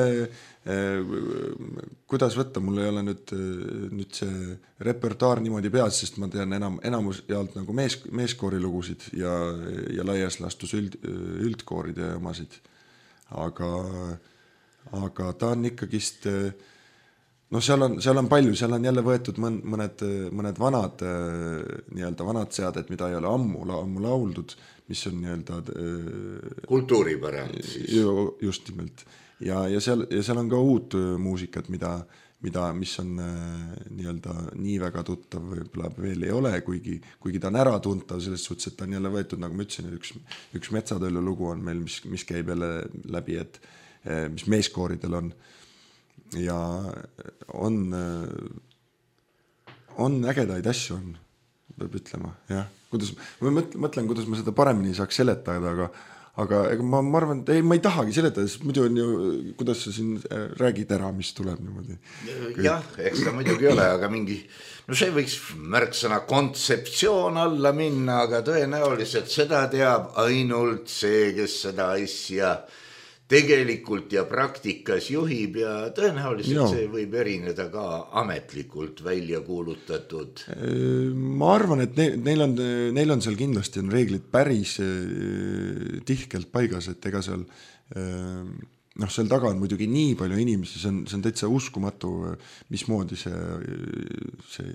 kuidas võtta, mul ei ole nüüd see repertuaar niimoodi peas, sest ma tean enamus jaalt nagu meeskoori lugusid ja laias lastus üldkooride omasid. Aga ta on ikkagist, seal on palju, seal on jälle võetud mõned vanad seaded, mida ei ole ammu lauldud, mis on kultuuripärand siis. Just nimelt. Ja seal on ka uut muusikat, mis on nii väga tuttav võib-olla veel ei ole, kuigi ta on ära tuntav selles suhtes, et ta on jälle võetud, nagu ma ütlesin, üks Metsatõllu lugu on meil, mis käib jälle läbi, et mis meeskooridel on. ja on ägedaid asju on, peab ütlema, jah. Ma mõtlen, kuidas ma seda paremini saaks seletada, aga ega ma arvan, et ma ei tahagi seletada, sest muidu on ju, kuidas sa siin räägid ära, mis tuleb niimoodi. Jah, eks ta muidugi ole, aga mingi, no see võiks märksõna kontseptsioon alla minna, aga tõenäoliselt seda teab ainult see, kes seda asja tegelikult ja praktikas juhib ja tõenäoliselt see võib erineda ka ametlikult välja kuulutatud. Ma arvan, et neil on seal kindlasti on reeglid päris tihkelt paigas, et ega seal seal taga on muidugi nii palju inimesi, see on täitsa uskumatu, mismoodi see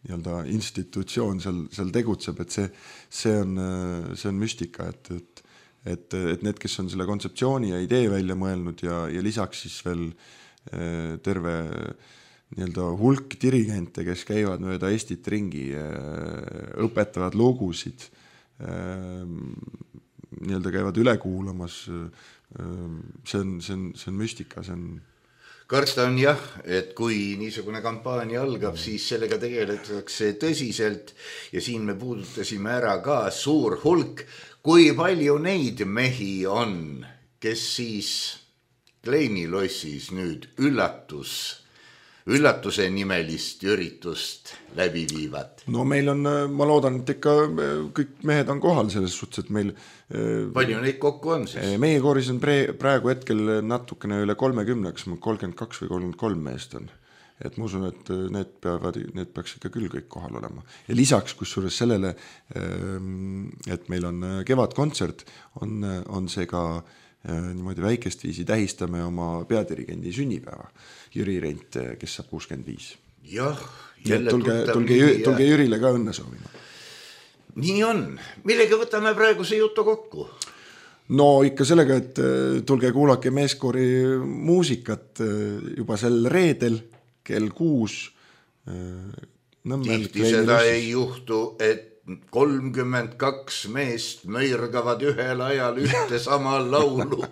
nii-öelda institutsioon seal tegutseb, et see on müstika, et need, kes on selle kontseptsiooni ja idee välja mõelnud ja lisaks siis veel terve nii-öelda hulk dirigente, kes käivad mööda Eestit ringi, õpetavad lugusid, nii-öelda käivad üle kuulamas, see on müstika, see on karta on jah, et kui niisugune kampaania algab, siis sellega tegeletakse tõsiselt ja siin me puudutasime ära ka suur hulk, kui palju neid mehi on, kes siis Kleini lossis nüüd üllatuse nimelist üritust läbi viivad? No meil on, ma loodan, et ikka kõik mehed on kohal selles suhtes, et meil palju neid kokku on siis? Meie kooris on praegu hetkel natukene üle 30, 32 või 33 meest on. Et ma usun, et need peaks ikka küll kõik kohal olema. Ja lisaks kusjuures sellele, et meil on kevadkontsert, on see ka niimoodi väikest viisi tähistame oma peadirigendi sünnipäeva. Jüri Rent, kes saab 65. Jah, jälle tulge Jürile ka õnne soovima. Nii on. Millega võtame praegu see jutu kokku? No ikka sellega, et tulge kuulake meeskoori muusikat juba sel reedel kell 6. Tihti seda ei juhtu, et 32 meest möirgavad ühel ajal ühte sama laulu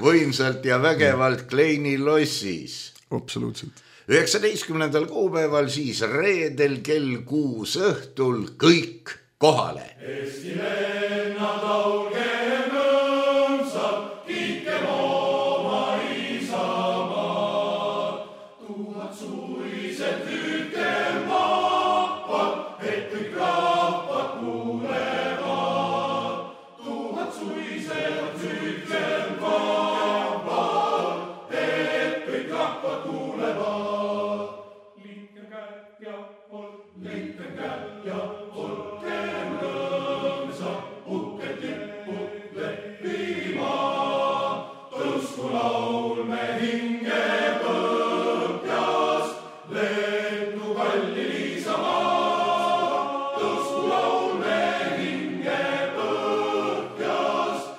võimsalt ja vägevalt Kleini lossis. Absoluutselt. 19. kuupäeval siis reedel kell 6 õhtul kõik kohale. Eesti lennad laulgem õmsalt, kiitkem oma isamaad. 1000 suised hüüdkem vahvad, et kõik rahvad kuulevad. 1000 suised hüüdkem vahvad, et kõik rahvad kuulevad. Liitkem käed ja olgem rõõmsad, uhked lipud lehvima. Tõusku laulme hinge põhjast, lendu kallil Isamaa. Tõusku laulme hinge põhjast,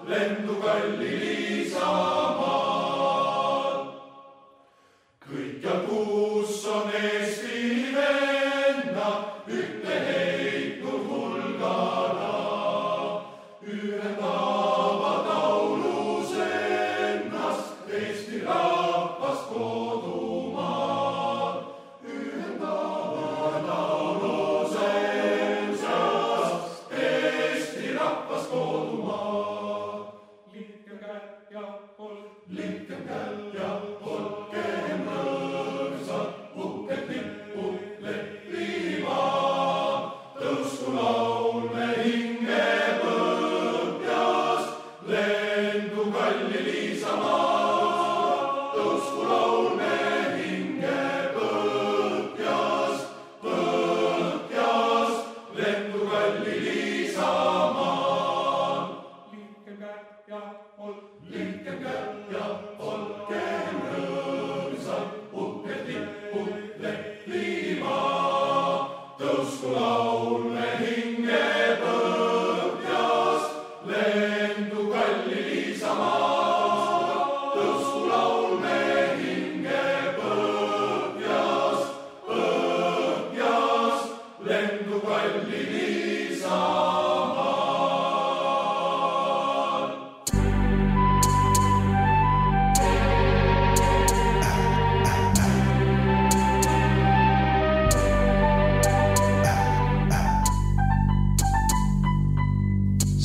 lendu kallil Isamaa. Kõik ja kus on Eesti venna, ühte heitnud hulgana. Ühendavad laulus ennast, Eesti rahvas kodumaal. Ühendavad laulus ennast, Eesti rahvas kodumaal. Liitkem käed ja olgem rõõmsad, uhked lipud lehvima. Tõusku laulme hinge põhjast, lendu kallil Isamaa. Tõusku laulme hinge põhjast, lendu kallil Isamaa. Liitkem käed ja olgem rõõmsad, uhked lipud lehvima. Tõusku laulme hinge põhjast, lendu kallil Isamaa. Tõusku laulme hinge põhjast, lendu kallil Isamaa.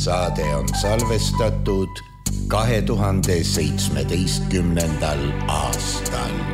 Saade on salvestatud 2017. aastal.